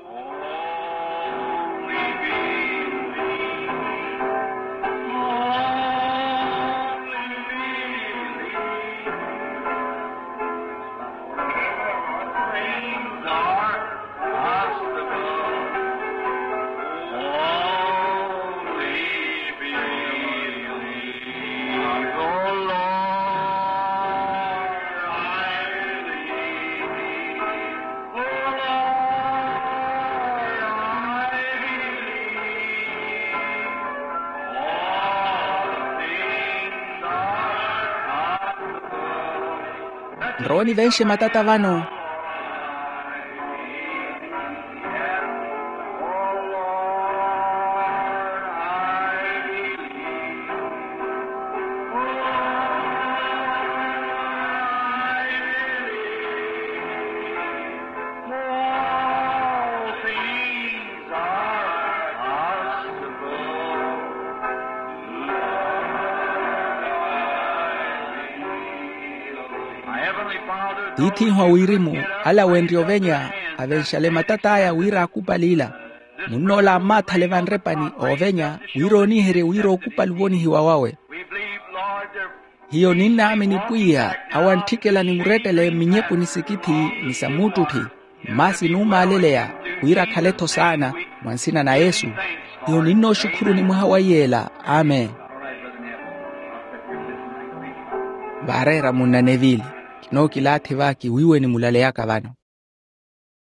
Nrowe nivenxe matata vano. Tiith'ihu a wirimu alawenrye ovenya, avenxale matat'aya wira akupali ila. Munn'ola ammathale vanrepani oovenya wira ooniherye wira okupali ovonihiwa wawe. Hiyo ninnaamini pwiya awo antthikela ni murettele mminyepuni sikithi ni sa muuttutthi, masi nuumaaleleya wira akhale-tho saana. Mwa nsina na yesu. Hiyo ninnooxukhuruni mwaha wa iyeela. Amen. Vaareera munna nevili. Kinookilaathi va kiwiiwe ni mulaleyaka vano.